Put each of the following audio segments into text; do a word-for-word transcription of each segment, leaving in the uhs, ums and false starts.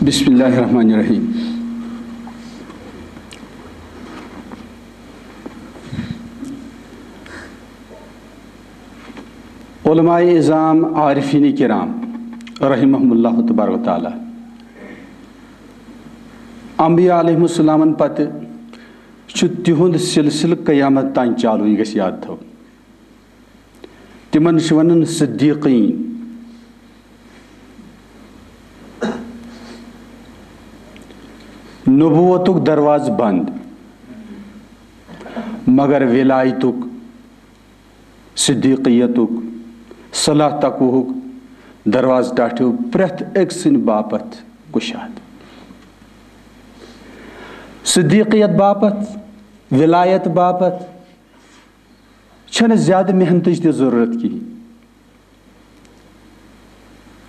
بسم اللہ الرحمن الرحیم۔ علماء عظام، عارفین کرام، رحمہم اللہ تبارک و تعالیٰ، انبیاء علیہم السلامن پتہٕ چھُ تِہُنٛد سلسلہٕ قیامت تام چالو، یہِ گژھِ یاد تھاوُن۔ تِمن چھِ ونان صدیقین۔ نبوتُک دروازٕ بند، مگر ولایتُک، صدیقیتُک، صلاح تقوہُک دروازٕ ٹاٹھیو پرٛٮ۪تھ أکۍ سٕنٛدِ باپتھ کُشاد۔ صدیقیت باپتھ، ولایت باپتھ چھنہٕ زیادٕ محنتٕچ تہِ ضروٗرت کِہیٖنۍ۔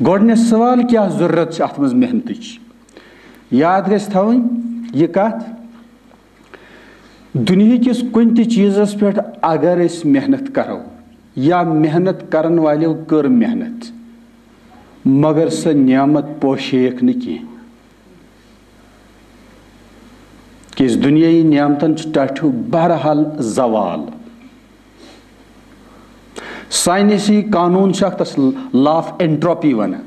گۄڈٕنیتھ سوال، کیٛاہ ضروٗرت چھِ اَتھ منٛز محنتٕچ؟ یاد گژھِ تھاوٕنۍ یہِ کَتھ، دُنیہٕکِس کُنہِ تہِ چیٖزَس پٮ۪ٹھ اگر أسۍ محنت کَرو یا محنت کَرَن والیو کٔر محنت، مگر سۄ نعمت پوشیکھ نہٕ کینٛہہ۔ کیٛازِ دُنیٲیی نعمتن چھُ ٹاٹھیو بہرحال زوال۔ ساینسی قانوٗن چھُ اکھ، تَس law of entropy وَنان۔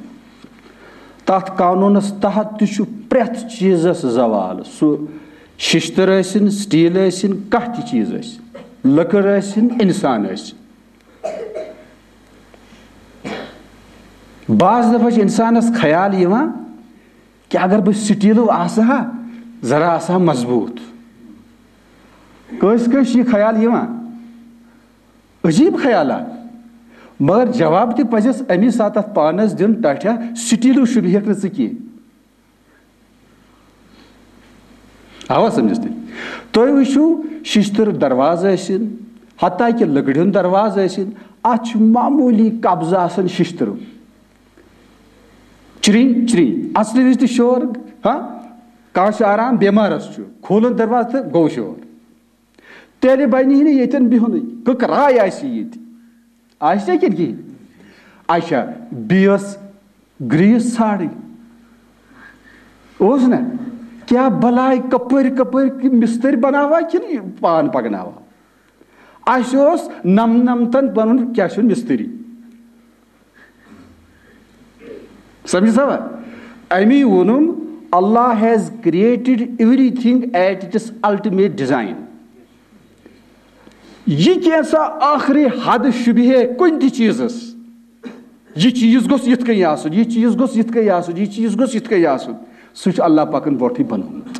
تَتھ قانوٗنَس تحت تہِ چھُ پرٛٮ۪تھ چیٖزَس زوال۔ سُہ شِشتٕر ٲسِن، سٹیٖل ٲسِن، کانٛہہ تہِ چیٖز ٲسِن، لٔکٕر ٲسِن، اِنسان ٲسِن۔ بعض دفعہ چھُ اِنسانَس خیال یِوان، کہ اگر بہٕ سٹیٖلو آسہٕ ہا، ذرا آسہٕ ہا مضبوٗط۔ کٲنٛسہِ کٲنٛسہِ چھُ یہِ خیال یِوان، عجیٖب خیالات۔ مگر جواب تہِ پزٮ۪س امی ساتہٕ اتھ پانس دیُن، ٹاٹھیا، سٹیٖلو شوٗبہِ ہیٚکھ نہٕ ژٕ کینٛہہ۔ آوا سمجھس تُہۍ؟ تُہۍ وٕچھِو، شیشتٕر دروازٕ ٲسِن، حتیٰ کہِ لٔکرِ ہُنٛد دروازٕ ٲسِن، اتھ چھُ معموٗلی قبضہٕ آسان شیشتٕرُک۔ چرِنۍ، چرِنۍ۔ اصلہِ وِزِ تہِ شور، ہاں؟ کانٛہہ چھُ آرام، بٮ۪مارس چھُ۔ کھولُن دروازٕ تہٕ گوٚو شور۔ تیٚلہِ بنہِ ہے نہٕ ییٚتٮ۪ن بِہُنٕے۔ کٕکراے آسہِ ییٚتہِ۔ آسہِ نا کِنہٕ کِہیٖنۍ؟ اچھا، بیٚیہِ ٲس گرٛیٖس ژھانٛڈٕنۍ۔ اوس نا؟ کیٛاہ بلاے، کپٲرۍ کپٲرۍ مِستٔرۍ بناوان کِنہٕ یہِ پان پکناوان؟ اَسہِ اوس نَم-، نَمتَن پَنُن کیٛاہ چھُ مِستٔری۔ سمجھ سا؟ اَمی ووٚنُم، Allah has created everything at its ultimate design۔ یہِ کینٛژھا ٲخری حد شوٗبہِ ہے کُنہِ تہِ چیٖزَس۔ یہِ چیٖز گوٚژھ یِتھ کٔنۍ آسُن، یہِ چیٖز گوٚژھ یِتھ کٔنۍ آسُن، یہِ چیٖز گوٚژھ یِتھ کٔنۍ آسُن۔ سُہ چھُ اللہ پاکن برونٛٹھٕے بنومُت۔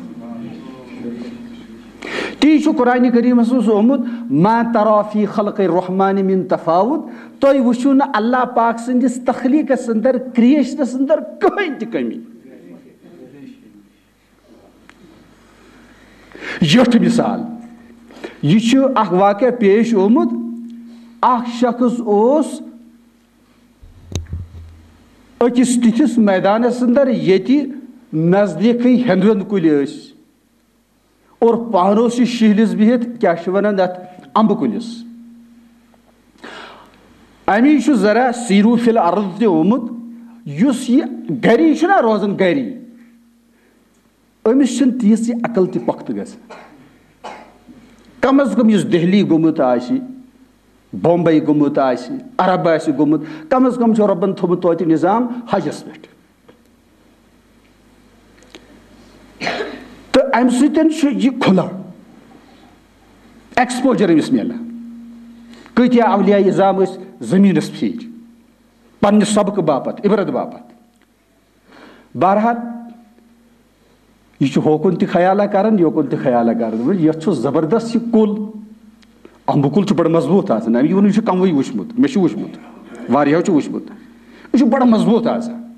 تی چھُ قرآن کریٖمس منٛز آمُت، "ما ترى في خلق الرحمن من تفاوت"۔ تُہۍ وٕچھِو نہٕ اللہ پاک سٕنٛدِس تخلیٖقس اندر، کریشنس اندر کٕہٕنۍ تہِ کٔمی۔ یُتھ مثال، یہِ چھُ اکھ واقعہ پیش آمُت۔ اکھ شخص اوس أکِس تِتھِس میدانس اندر، ییٚتہِ نزدیٖکھٕے ہٮ۪نٛد وٮ۪نٛد کُلۍ ٲسۍ۔ اور پانہٕ اوس یہِ شِہلِس بِہِتھ، کیٛاہ چھِ وَنان اَتھ، اَمبہٕ کُلِس۔ اَمی چھُ ذرا سیٖرو فِل عرض تہِ آمُت، یُس یہِ گَری چھُنہ روزان، گَری، أمِس چھِنہٕ تیٖژ یہِ عقل تہِ پۄختہٕ گژھان۔ کم از کم یُس دہلی گوٚمُت آسہِ، بمبئی گوٚمُت آسہِ، عرب آسہِ گوٚمُت، کم از کم چھُ رۄبن تھوٚمُت توتہِ نظام حجس پٮ۪ٹھ۔ تہٕ امہِ سۭتۍ چھُ یہِ کھُلان، ایکسپوجر أمِس میلان۔ کۭتیاہ اولیاء عظام ٲسۍ زٔمیٖنَس پھیٖرۍ، پننہِ سبقہٕ باپتھ، عبرت باپتھ۔ بہرحال، یہِ چھُ ہوکُن تہِ خیالہ کران، یوکُن تہِ خیالہ کران۔ وۄنۍ یتھ چھُ زبردست یہِ کُل، امبہٕ کُل چھُ بڑٕ مضبوٗط آسان۔ أمۍ ووٚن، یہِ چھُ کموٕے وٕچھمُت، مےٚ چھُ وٕچھمُت، واریاہو چھُ وٕچھمُت۔ یہِ چھُ بڑٕ مضبوٗط آسان،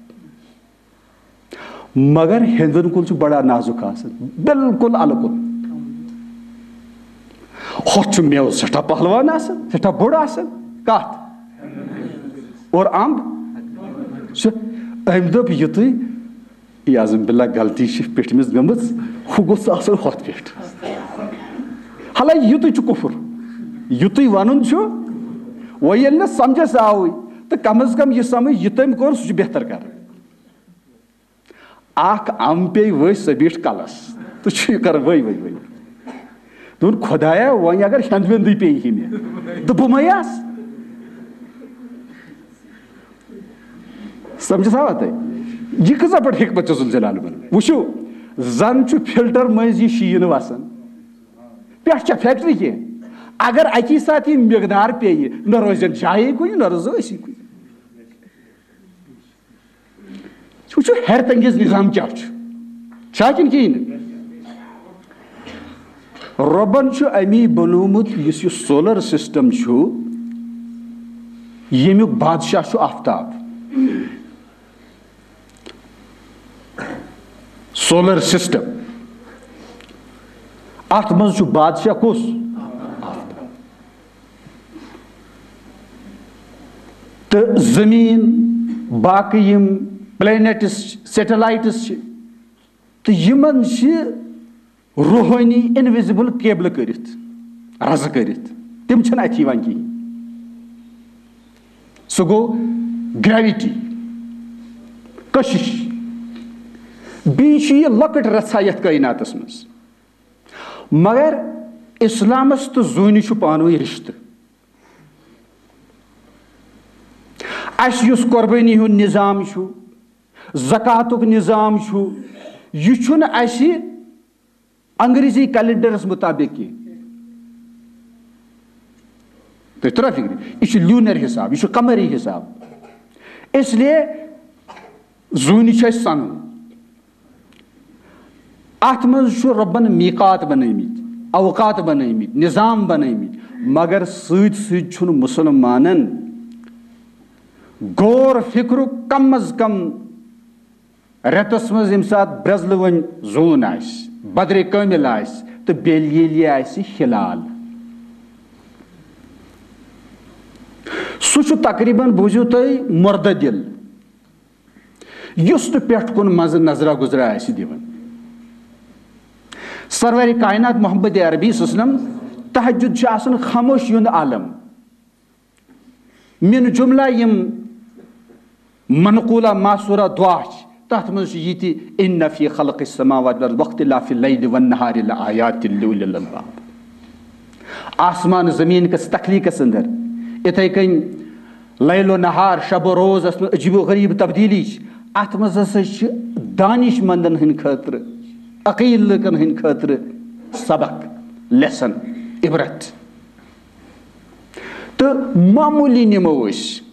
مگر ہیٚنٛدوٮ۪ن کُل چھُ بڑٕ نازُک آسان، بالکل الہٕ کُل۔ ہۄتھ چھُ میوٕ سٮ۪ٹھاہ پہلوان آسان، سٮ۪ٹھاہ بوٚڑ آسان۔ کتھ؟ اور امب چھُ۔ أمۍ دوٚپ، یُتُے، یہِ اعوذ باللہ غلطی چھِ پیٚٹھمِس گٔمٕژ، ہُہ گوٚژھ آسُن ہۄتھ پٮ۪ٹھ۔ حالانکہ یُتُے چھُ کُفُر، یُتُے وَنُن چھُ۔ وۄنۍ ییٚلہِ نہٕ سمجھس آوٕے، تہٕ کم از کم یہِ سمجھ، یہِ تٔمۍ کوٚر، سُہ چھُ بہتر کران۔ اکھ ام پیٚیہِ ؤسۍ، سۄ بیٖٹھ کلس۔ تہٕ چھُ یہِ کران ؤے ؤے ؤے۔ دوٚپُن، "خۄدایا، وۄنۍ اگر ہٮ۪نٛد وٮ۪نٛدٕے پیٚیہِ ہے مےٚ، تہٕ بہٕ مَے آسہٕ؟" سمجھس آوا تۄہہِ؟ یہِ کۭژاہ بٔڑ حکمت چھِ ذوالجلال بنٲومٕژ۔ وٕچھِو، زن چھُ فلٹر مٔنٛزۍ یہِ شیٖن وسان، پٮ۪ٹھ چھےٚ فیکٹری کینٛہہ۔ اگر اکی ساتہٕ یہِ مقدار پیٚیہِ، نہ روزن جایے کُنہِ، نہ روزو أسی کُنہِ۔ وٕچھِو، حیرت انگیز نظام کیٛاہ چھُ؟ چھا کِنہٕ کِہیٖنۍ نہٕ؟ رۄبن چھُ امی بنوومُت، یُس یہِ سولر سسٹم چھُ، ییٚمیُک بادشاہ چھُ آفتاب۔ سولر سسٹم، اتھ منٛز چھُ بادشاہ کُس؟ آفتاب۔ تہٕ زٔمیٖن، باقٕے یِم پلینٹس، سیٹلائٹس چھِ، تہٕ یِمن چھِ روحٲنی انویزیبل کیبلہٕ کٔرِتھ، رزٕ کٔرِتھ، تِم چھِنہٕ اَتھِ یِوان کِہیٖنۍ۔ سُہ گوٚو گریویٹی، کشش۔ بیٚیہِ چھِ یہِ لۄکٕٹ رژھا یَتھ کائناتس منٛز۔ مگر اسلامس تہٕ زوٗنہِ چھُ پانہٕ ؤنۍ رشتہٕ۔ اسہِ یُس قربٲنی ہُنٛد نظام چھُ، زکاتُک نظام چھُ، یہِ چھُنہٕ اسہِ انگریزی کیلنڈرس مطابق کینٛہہ۔ تُہۍ ترٲو فکرِ، یہِ چھُ لوٗنر حساب، یہِ چھُ قمری حساب۔ اس لیے زوٗنہِ چھُ اَسہِ سَنُن۔ اَتھ منٛز چھُ رۄبَن میٖقات بنٲومٕتۍ، اوقات بنٲومٕتۍ، نظام بنٲومٕتۍ، مگر سۭتۍ سۭتۍ چھُنہٕ مُسلمانن غور فکرُک کم از کم رٮ۪تس منٛز ییٚمہِ ساتہٕ برٛزلہٕ وۄنۍ زوٗن آسہِ، بدرِ کٲمِل آسہِ تہٕ بیٚیہِ ییٚلہِ یہِ آسہِ ہلال، سُہ چھُ تقریباً، بوٗزِو تُہۍ، مُردٕ دِل، یُس نہٕ پٮ۪ٹھ کُن منٛزٕ نظرا گُزرا آسہِ دِوان۔ سرور کائنات محمد عربی صلی اللہ علیہ وسلم، تہجد چھُ آسان خاموشی ہُنٛد عالم۔ من جملہ یِم منقولہ ماثورہ دعا چھِ، تَتھ منٛز چھُ یہِ تہِ، "ان فی خلق السماوات والارض واختلاف اللیل والنہار لآیات لأولی الالباب۔" آسمان زمین کِس تخلیقس اندر، اِتھے کٔنۍ لیل و نہار، شب و روزس منٛز عجیب و غریب تبدیلی چھِ، اتھ منٛز ہسا چھِ دانش مندن ہٕنٛدِ خٲطرٕ، عقیل لُکن ہٕنٛدِ خٲطرٕ سبق، لیسن، عبرت۔ تہٕ معموٗلی نِمو أسۍ،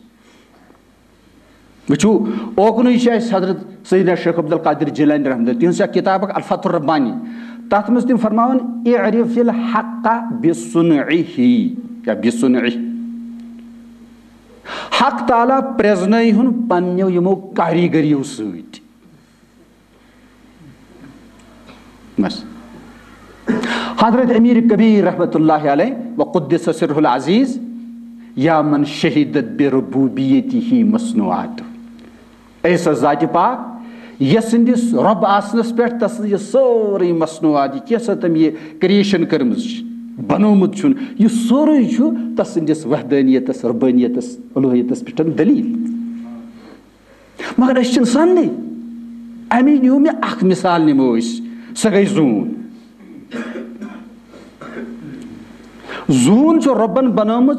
وٕچھِو، اوکنُے چھُ اَسہِ حضرت سیدنا شیخ عبدالقادر جیلانی رحمۃ اللہ، تِہنٛز چھےٚ کِتاب اکھ الفتح الربانی، تَتھ منٛز تِم فرماوان، "اعرف الحق بصنعه" یا بصنعه۔ حق تعالیٰ پرٛزنٲیہُن پننیو یِمو کاریٖگٔریو سۭتۍ۔ بس۔ حضرت امیر کبیر رحمت اللہ علیہ و قدس سرہ العزیز، یا من شہدت بربوبیتہ مصنوعات، اے سا ذات پاک، یس سٕنٛدِس رب آسنس پٮ۪ٹھ تس یہِ سٲرٕے مصنوعات، یہِ کیٛاہ سا تٔمۍ یہِ کریشن کٔرمٕژ چھِ، بنوومُت چھُن، یہِ سورُے چھُ تس سٕنٛدِس وحدانیتس، ربانیتس، الوہیتس پٮ۪ٹھ دلیل۔ مگر أسۍ چھِنہٕ سننٕے۔ اَمی نیوٗ مےٚ اکھ مثال، نِمو أسۍ، سۄ گٔے زوٗن۔ زوٗن چھُ رۄبن بنٲومٕژ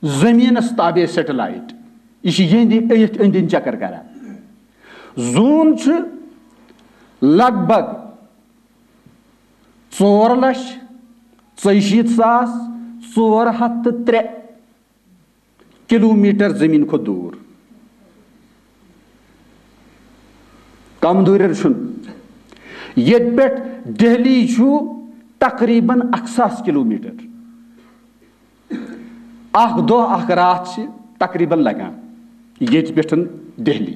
زٔمیٖنس تابع سیٹلایٹ۔ یہِ چھِ یِہنٛدِ أتھۍ أنٛدۍ أنٛدۍ چکر کران۔ زوٗن چھُ لگ بگ ژور لچھ ژۄیہِ شیٖتھ ساس ژور ہتھ تہٕ ترٛےٚ کلومیٹر زمین کھۄتہٕ دوٗر۔ کم دوٗرٮ۪ر چھُنہٕ۔ ییٚتہِ پٮ۪ٹھ دہلی چھُ تقریباً اکھ ساس کلومیٹر۔ اکھ دۄہ، اکھ راتھ چھِ تقریباً لگان ییٚتہِ پٮ۪ٹھ دہلی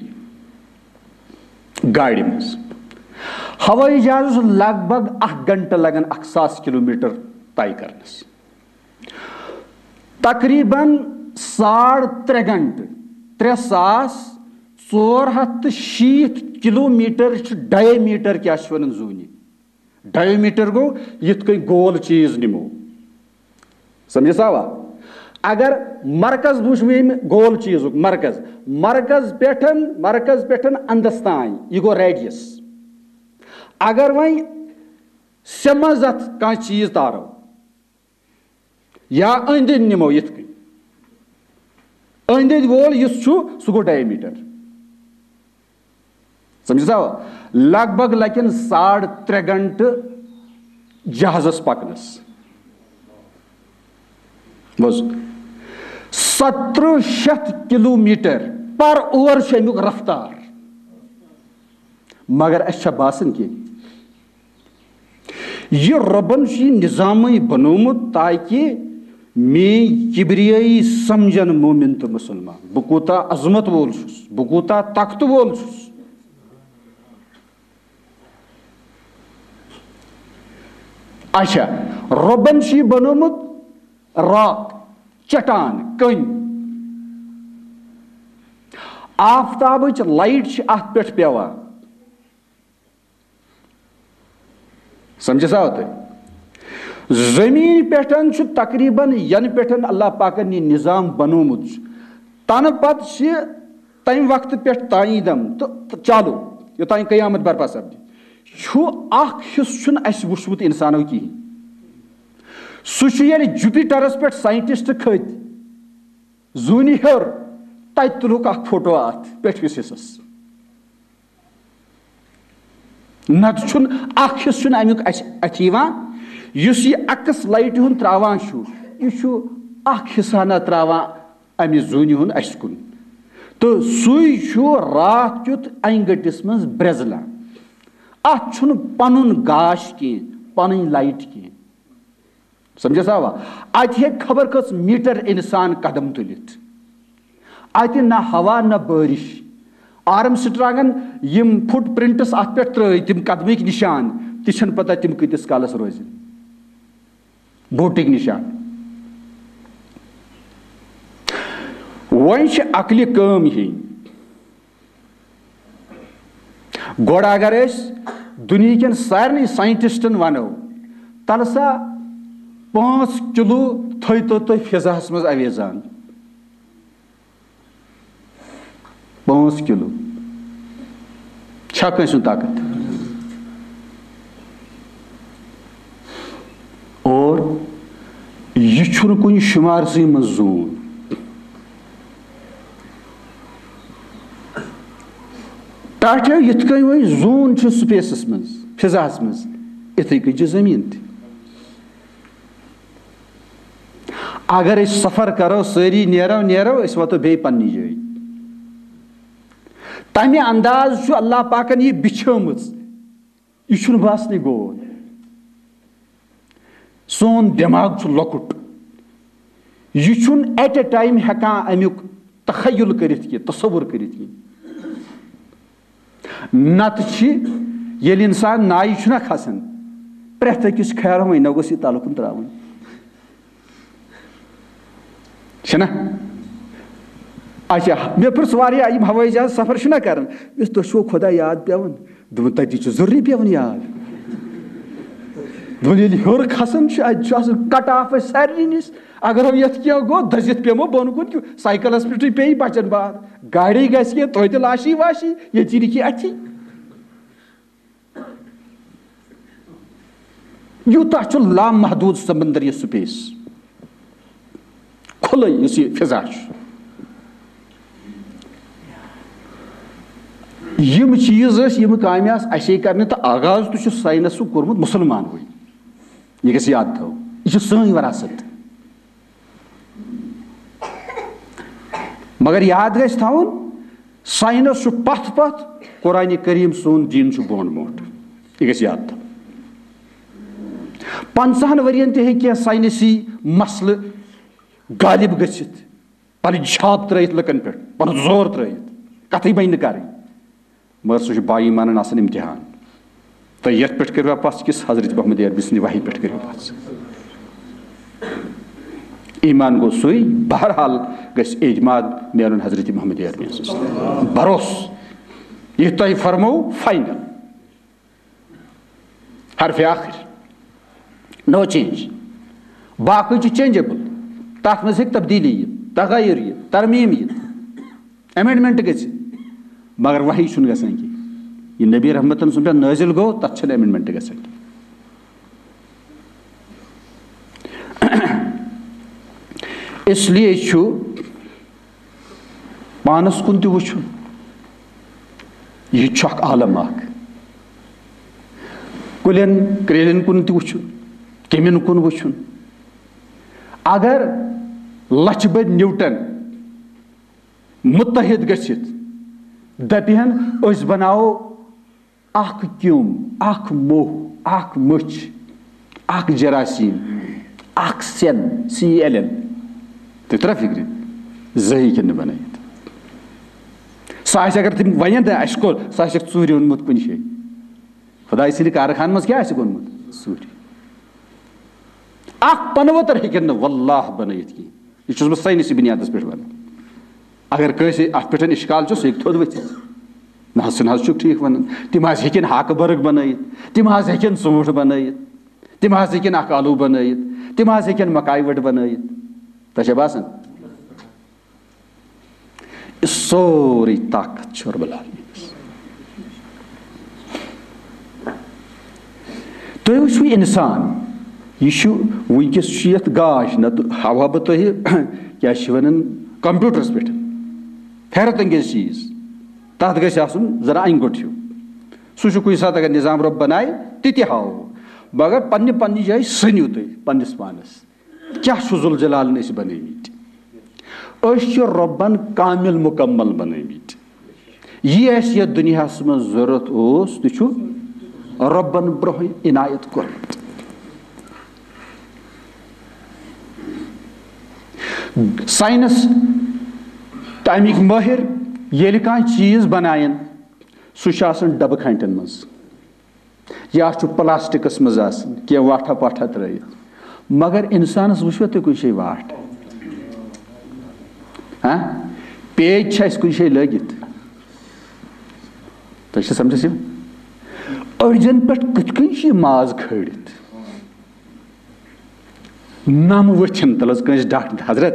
گاڑِ منٛز۔ ہوٲیی جہازس لگ بگ اکھ گھنٹہٕ لگان اکھ ساس کلومیٹر طے کرنس۔ تقریباً ساڑ ترٛےٚ گھنٹہٕ، ترٛےٚ ساس ژور ہتھ تہٕ شیٖتھ کلومیٹر چھُ ڈایمیٹر، کیٛاہ چھِ ونان زوٗنہِ؟ ڈایمیٹر گوٚو یِتھ کٔنۍ گول چیٖز نِمو۔ سمجھس آوا؟ اگر مرکز وٕچھ ییٚمہِ گول چیٖزُک مرکز، مرکز پٮ۪ٹھ، مرکز پٮ۪ٹھ اندس تام، یہِ گوٚو ریڈیس۔ اگر وۄنۍ سیٚمنٛز اَتھ کانٛہہ چیٖز تارو یا أنٛدۍ أنٛدۍ نِمو یِتھ کٔنۍ، أنٛدۍ أنٛدۍ وول یُس چھُ، سُہ گوٚو ڈایمیٖٹر۔ سمجھ سا؟ لگ بگ لگن ساڑ ترٛےٚ گھنٹہٕ جہازس پکنس۔ بوز، سترہ شیتھ کلومیٹر پر اوور چھُ امیُک رفتار۔ مگر اسہِ چھا باسان کینٛہہ؟ یہِ رۄبن چھُ یہِ نظامٕے بنوومُت تاکہِ میٲنۍ کبریٲیی سمجھن مومن تہٕ مسلمان، بہٕ کوٗتاہ عظمت وول چھُس، بہٕ کوٗتاہ طاقتہٕ وول چھُس۔ اچھا، رۄبن چھُ یہِ بنوومُت راک، چٹان، کٔنۍ۔ آفتابٕچ لایٹ چھِ اتھ پٮ۪ٹھ پٮ۪وان۔ سمجھس آو تۄہہِ؟ زٔمیٖن پٮ۪ٹھ چھُ تقریباً، ینہٕ پٮ۪ٹھ اللہ پاکن یہِ نظام بنوومُت چھُ، تنہٕ پتہٕ چھِ تمہِ وقتہٕ پٮ۪ٹھ تام دم تہٕ چالو، یوٚتام قیامت برپا سپدِ، چھُ اکھ حصہٕ چھُنہٕ اسہِ وُچھمُت انسانو کِہیٖنۍ۔ سُہ چھُ ییٚلہِ جُپیٹرس پٮ۪ٹھ ساینٹسٹ کھٔتۍ، زوٗنہِ ہیوٚر، تتہِ تُلُکھ اکھ فوٹو اتھ پٮ۪ٹھمِس حصس۔ نتہٕ چھُنہٕ اکھ حصہٕ چھُنہٕ امیُک اسہِ اتھِ یِوان۔ یُس یہِ عکس لایٹہِ ہُنٛد تراوان چھُ، یہِ چھُ اکھ حصہٕ ہنا تراوان امہِ زوٗنہِ ہُنٛد اسہِ کُن۔ تہٕ سُے چھُ راتھ کیُتھ انہِ گٔٹِس منٛز برٛزلان۔ اتھ چھُنہٕ پنُن گاش کینٛہہ، پنٕنۍ لایٹ کینٛہہ۔ سمجھس آوا؟ اتہِ ہیٚکہِ خبر کٔژ میٹر انسان قدم تُلِتھ۔ اتہِ نہ ہوا نہ بٲرِش۔ آرم سٹرانگن یِم فٹ پرنٹس اتھ پٮ۪ٹھ ترٲوۍ، تِم قدمٕکۍ نشان، تہِ چھنہٕ پتہ تِم کۭتِس کالس روزن۔ بوٹٕکۍ نشان۔ وۄنۍ چھِ عقلہِ کٲم ہیٚنۍ۔ گۄڈٕ اگر أسۍ دُنیہکٮ۪ن سارنٕے ساینٹسٹن ونو، تلہٕ سا پانٛژھ کِلوٗ تھٲیتو تُہۍ فضاہس منٛز اویزان۔ پانٛژھ کِلوٗ۔ چھا کٲنٛسہِ ہُنٛد طاقت؟ اور یہِ چھُنہٕ کُنہِ شُمارسٕے منٛز زوٗن۔ ٹاٹھیو یِتھ کٔنۍ وۄنۍ زوٗن چھُ سپیسس منٛز، فضاہس منٛز، یِتھٕے کٔنۍ چھِ زٔمیٖن تہِ۔ اگر أسۍ سفر کرو، سٲری نیرو، نیرو، أسۍ واتو بیٚیہِ پننہِ جایہِ۔ تمہِ انداز چھُ اللہ پاکن یہِ بِچھٲمٕژ۔ یہِ چھُنہٕ باسنٕے گول۔ سون دٮ۪ماغ چھُ لۄکُٹ۔ یہِ چھُنہٕ at a time ہٮ۪کان امیُک تخیل کٔرِتھ کینٛہہ، تصور کٔرِتھ کینٛہہ۔ نتہٕ چھِ، ییٚلہِ انسان نایہِ چھُنہ کھسان، پرٛٮ۪تھ أکِس چھُ خیال، وۄنۍ نہ گوٚژھ یہِ تلہٕ کُن ترٛاوُن۔ چھِنہ؟ اچھا، مےٚ پرٛژھ واریاہ، یِم ہوٲیی جہاز سفر چھِنہ کران، مےٚ دوٚپُس، "تۄہہِ چھُوا خۄدا یاد پٮ۪وان؟" دوٚپُن، "تَتی چھُ ضروٗری پٮ۪وان یاد۔" دوٚپُن، "ییٚلہِ ہیوٚر کھسان چھُ، اَتہِ چھُ آسان cut off اَسہِ سارنٕے نِش۔ اگر ہم یَتھ کینٛہہ گوٚو، دٔزِتھ پیٚمو بۄن کُن، کیوں سایکلَس پٮ۪ٹھٕے پیٚیہِ بَچَن بار، گاڑی گژھِ کینٛہہ، توتہِ لاشی واشی، ییٚتہِ لیکھی اَتھی۔" یوٗتاہ چھُ لامحدوٗد سمندر یہِ سپیس۔ کھُلٲے یُس یہِ فضا چھُ۔ یِم چیٖز ٲسۍ، یِم کامہِ آسہٕ اَسے کرنہِ، تہٕ آغاز تہِ چھُ ساینسُک کوٚرمُت مُسلمانوٕے۔ یہِ گژھِ یاد تھاوُن، یہِ چھِ سٲنۍ وراثت۔ مگر یاد گژھِ تھاوُن، ساینس چھُ پتھ پتھ، قرآن کریم سون دیٖن چھُ برونٛٹھ برونٛٹھ۔ یہِ گژھِ یاد تھاوُن۔ پنٛژاہن ؤرین تہِ ہیٚکہِ کینٛہہ ساینسی مسلہٕ غالب گٔژھِتھ، پنٕنۍ چھاپ ترٲیِتھ لُکن پٮ۪ٹھ، پنُن زور ترٲیِتھ، کتھٕے بنہِ نہٕ کرٕنۍ۔ مگر سُہ چھُ با ایمانن آسان امتحان۔ تہٕ یتھ پٮ۪ٹھ کٔرِو پژھ کِس حضرت محمد عربی سٕنٛدِ وحی پٮ۪ٹھ کٔرِو پژھ۔ ایمان گوٚو سُے، بہرحال گژھِ اعتماد میلُن حضرت محمد عربی سٕنٛز۔ بھروسہٕ، یہِ تۄہہِ فرموو، فاینل۔ حرف آخر، نو چینج۔ باقٕے چھُ چینجیبل، تتھ منٛز ہیٚکہِ تبدیلی یِتھ، تغیر یِتھ، ترمیم یِتھ، امینڈمنٹ گژھِ، مگر وحی چھُنہٕ گژھان کینٛہہ۔ یہِ نبی رحمتن سُنٛد پٮ۪ٹھ نٲزِل گوٚو، تَتھ چھَنہٕ amendment گژھان۔ اس لیے چھُ پانَس کُن تہِ وٕچھُن، یہِ تہِ چھُ اکھ عالم اکھ۔ کُلٮ۪ن کرٛیلٮ۪ن کُن تہِ وٕچھُن، کیٚمٮ۪ن کُن وٕچھُن۔ اگر لَچھِ بٔدۍ نیوٹن مُتحد گٔژھِتھ دَپہِ ہن، أسۍ بناوو اکھ کیوٚم، اکھ موٚہ، اکھ مٔچھ، اکھ جراثیم، اکھ cell، C E L L۔ تُہۍ ترٛا فِکرِ؟ زٕہٕے ہیٚکن نہٕ بنٲیِتھ۔ سُہ آسہِ، اگر تِم ونن، تہٕ اَسہِ کوٚر، سُہ آسٮ۪کھ ژوٗرِ اوٚنمُت کُنہِ جایہِ۔ خۄداے سٕنٛدِ کارخانہٕ منٛز کیٛاہ آسٮ۪کھ اوٚنمُت؟ ژوٗرِ۔ اکھ پنہٕ ؤتٕر ہیٚکن نہٕ واللہ بنٲیِتھ کینٛہہ۔ یہِ چھُس بہٕ ساینسی بُنیادس پٮ۪ٹھ ونان۔ اگر کٲنٛسہِ اتھ پٮ۪ٹھ اشکال چھُ، سُہ ہیٚکہِ تھوٚد ؤتھِتھ۔ نہ حظ، ژٕ نہ حظ چھُکھ ٹھیٖک ونان۔ تِم حظ ہیٚکن ہاکہٕ برگ بنٲیِتھ، تِم حظ ہیٚکن ژوٗنٛٹھ بنٲیِتھ، تِم حظ ہیٚکن اکھ آلو بنٲیِتھ، تِم حظ ہیٚکن مکایہِ وَٹ بنٲیِتھ۔ تۄہہِ چھا باسان؟ یہِ سورُے طاقت چھُ رب العالمینس۔ تُہۍ وٕچھِو اِنسان، یہِ چھُ وٕنکیٚس چھُ یَتھ گاش، نَتہٕ ہاوہا بہٕ تۄہہِ کیٛاہ چھِ وَنان کمپیوٗٹرَس پٮ۪ٹھ۔ حیرت انگیز چیٖز، تَتھ گژھِ آسُن ذرا اَنہِ گوٚٹ ہیوٗ۔ سُہ چھُ کُنہِ ساتہٕ اگر نظام رب بنایہِ، تہِ تہِ ہاوو۔ مگر پننہِ پننہِ جایہِ سٔنِو تُہۍ پننِس پانَس۔ کیٛاہ چھُ ذوالجلالن أسۍ بنٲومٕتۍ؟ أسۍ چھِ رۄبن کامل مکمل بنٲومٕتۍ۔ یہِ اَسہِ یَتھ دُنیاہس منٛز ضروٗرت اوس، تہِ چھُ رۄبن برونٛہہ عنایت کوٚرمُت۔ ساینس تہٕ اَمِکۍ مٲہِر ییٚلہِ کانٛہہ چیٖز بناون، سُہ چھُ آسان ڈبہٕ کھانٹٮ۪ن منٛز۔ یا چھُ پلاسٹکس منٛز آسان، کینٛہہ واٹھا پاٹھا ترٲیِتھ۔ مگر انسانس وٕچھوا تُہۍ کُنہِ جایہِ واٹھ؟ ہاں؟ پیچ چھِ اَسہِ کُنہِ جایہِ لٲگِتھ؟ تۄہہِ چھِ سمجھس یِوان؟ أڈجن پٮ۪ٹھ کِتھ کٔنۍ چھُ یہِ ماز کھٲلِتھ؟ نم ؤتھِن تَلہٕ حظ کٲنٛسہِ ڈاکٹر، حضرت،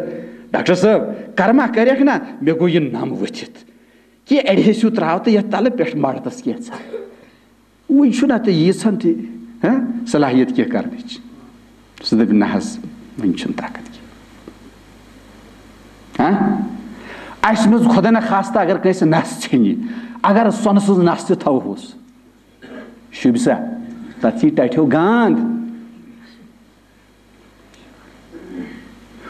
ڈاکٹر صٲب، کرما کریکھ نا، مےٚ گوٚو یہِ نم ؤتھِتھ۔ کہِ adhesive ترٛاو تہٕ یَتھ تَلہٕ پٮ۪ٹھ مَردَس کینٛژھا۔ وٕنہِ چھُنہ تہٕ ییٖژہن تہِ، ہہ، صلاحیت کینٛہہ کرنٕچ۔ سُہ دَپہِ، نہ حظ، وٕنہِ چھُنہٕ طاقت کینٛہہ۔ ہہ؟ اَسہِ منٛز خۄدا نہ خاستہٕ اگر کٲنٛسہِ نَس ژھیٚنہِ، اگر سۄنہٕ سٕنٛز نَس تہِ تھاوہوس، شوٗبہِ سا؟ تَتھ یی ٹَٹھیو گانٛد۔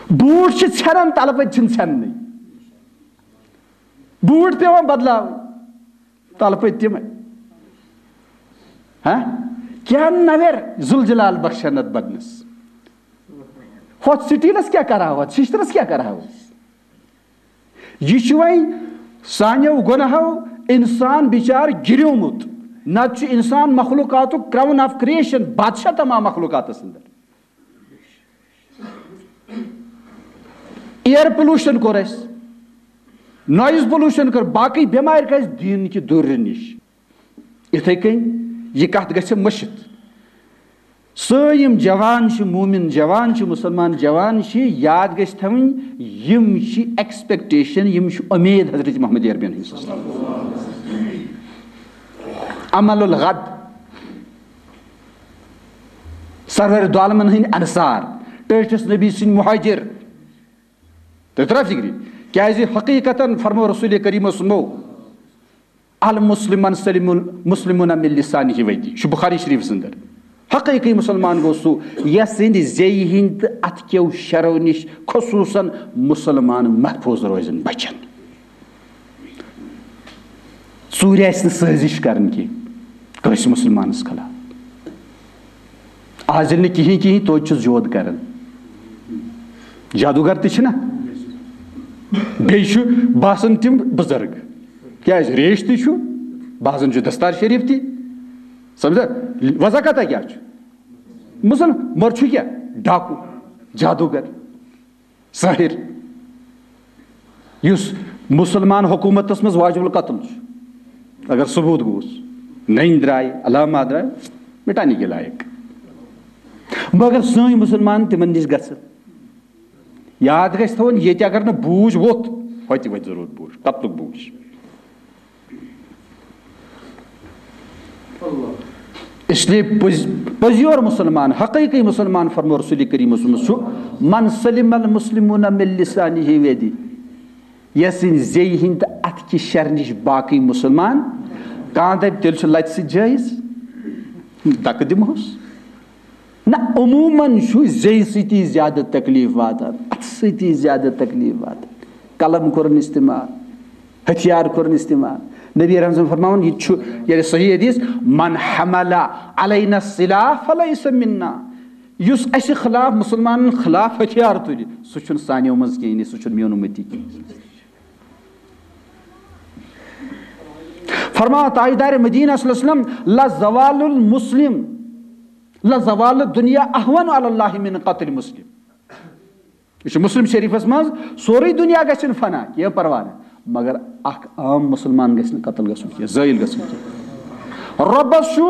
بوٗٹھ چھِ ژھٮ۪نان، تَلہٕ پٔتۍ چھِنہٕ ژھٮ۪ننٕے۔ بوٗٹھ پٮ۪وان بدلاوٕنۍ۔ تَلہٕ پٔتۍ تِمَے۔ ہہ؟ کیٛاہ نَوٮ۪ر ذوالجلال بخشن اَتھ بدنَس؟ ہۄتھ سٹیٖلَس کیٛاہ کَرہاو، ہۄتھ شِشتٕرَس کیٛاہ کَرہاو أسۍ؟ یہِ چھُ وۄنۍ سانیو گۄناہو اِنسان بِچار گِریومُت۔ نَتہٕ چھُ اِنسان مخلوٗقاتُک crown of creation، بادشاہ تمام مخلوٗقاتَس اندر۔ Air pollution کوٚر اَسہِ، noise pollution کٔر، باقٕے بٮ۪مارِ کَرِ اَسہِ دیٖن کہِ دوٗرِ نِش۔ یِتھَے کٔنۍ یہِ کَتھ گژھِ مٔشِتھ۔ سٲنۍ یِم جوان چھِ، مومِن جوان چھِ، مُسلمان جوان چھِ، یاد گژھِ تھاوٕنۍ، یِم چھِ expectation، یِم چھِ اُمید حضرت محمد عربین ہٕنٛز۔ عمل الغد۔ سرور دو عالمن ہٕنٛدۍ انصار، ٹٲٹھِس نبی سٕنٛدۍ مُہاجِر۔ تُہۍ ترٛاو فِکرِ؟ کیٛازِ حقیٖقتاً فرموو رسول کریٖمو سُمو، "المسلم من سلم المسلمون من لسانہ و یدہ"، چھُ بخاری شریٖفَس اندر۔ حقیٖقی مُسلمان گوٚو سُہ، یَس سٕنٛدِ زیٚیہِ ہٕنٛدۍ تہٕ اَتھٕ کیو شرو نِش خصوٗصاً مُسلمان محفوٗظ روزن، بچن۔ ژوٗرِ آسہِ نہٕ سٲزِش کرٕنۍ کینٛہہ کٲنٛسہِ مُسلمانس خلاف۔ آز ییٚلہِ نہٕ کِہیٖنۍ کِہیٖنۍ، توتہِ چھُس جود کران۔ جادوگر تہِ چھِنہ، بیٚیہِ چھُ باسان تِم بُزرگ۔ کیٛازِ؟ ریش تہِ چھُ، باسان چھُ دستار شریٖف تہِ۔ سمجھا؟ وضع کتھا کیٛاہ چھُ؟ مُسلمان، مگر چھُ کیٛاہ؟ ڈاکوٗ، جادوگر۔ ساحر، یُس مُسلمان حکوٗمتس منٛز واجب القتل چھُ، اگر ثبوٗت گوٚوس، نٔنۍ درٛاے، علامات درٛاے، مٹانے کے لایق۔ مگر سٲنۍ مُسلمان تِمن نِش گژھن۔ یاد گژھِ تھاوُن، ییٚتہِ اگر نہٕ بوٗج ووٚتھ، ہوٚتہِ وۄتھِ ضروٗر بوٗج، قتلُک بوٗج۔ اس لیے پٔز-، پٔزیور مسلمان، حقیقی مسلمان، فرمو رسول کریم صلی اللہ علیہ وسلم، چھُ من سلم المسلمون من لسانہ و یدہ، یس سٕنٛدِ زیٚیہِ ہٕنٛدِ تہٕ اَتھٕ کہِ شرِ نِش باقٕے مسلمان۔ کانٛہہ دَپہِ، تیٚلہِ چھُ لَتہِ سۭتۍ جٲیِز، دَکہٕ دِمہوس۔ نہ، عموماً چھُ زیٚیہِ سۭتی زیادٕ تکلیٖف واتان، اَتھٕ سۭتی زیادٕ تکلیٖف واتان۔ قلم کوٚرُن استعمال، ہتھیار کوٚرُن استعمال۔ نبی رحمت فرماوان، یہِ چھُ، یعنی صحیح حدیث، من حمل علینا السلاح فلیس منا۔ یُس اَسہِ خلاف، مسلمانن خلاف ہتھیار تُلہِ، سُہ چھُنہٕ سانیو منٛز کِہیٖنۍ، سُہ چھُنہٕ میون اُمتی کِہیٖنۍ۔ فرماوان تاجدار مدینہ صلی اللہ علیہ وسلم، لزوال المسلم، لزوال الدنیا اہون علی اللہ من قتل مسلم۔ یہِ چھُ مسلم شریفس منٛز، سورُے دُنیا گژھِ نہٕ فنا، کینٛہہ پرواہ نہٕ، مگر اکھ عام مسلمان گژھِ نہٕ قتل گژھُن کینٛہہ، زٲیِل گژھُن کینٛہہ۔ رۄبس چھُ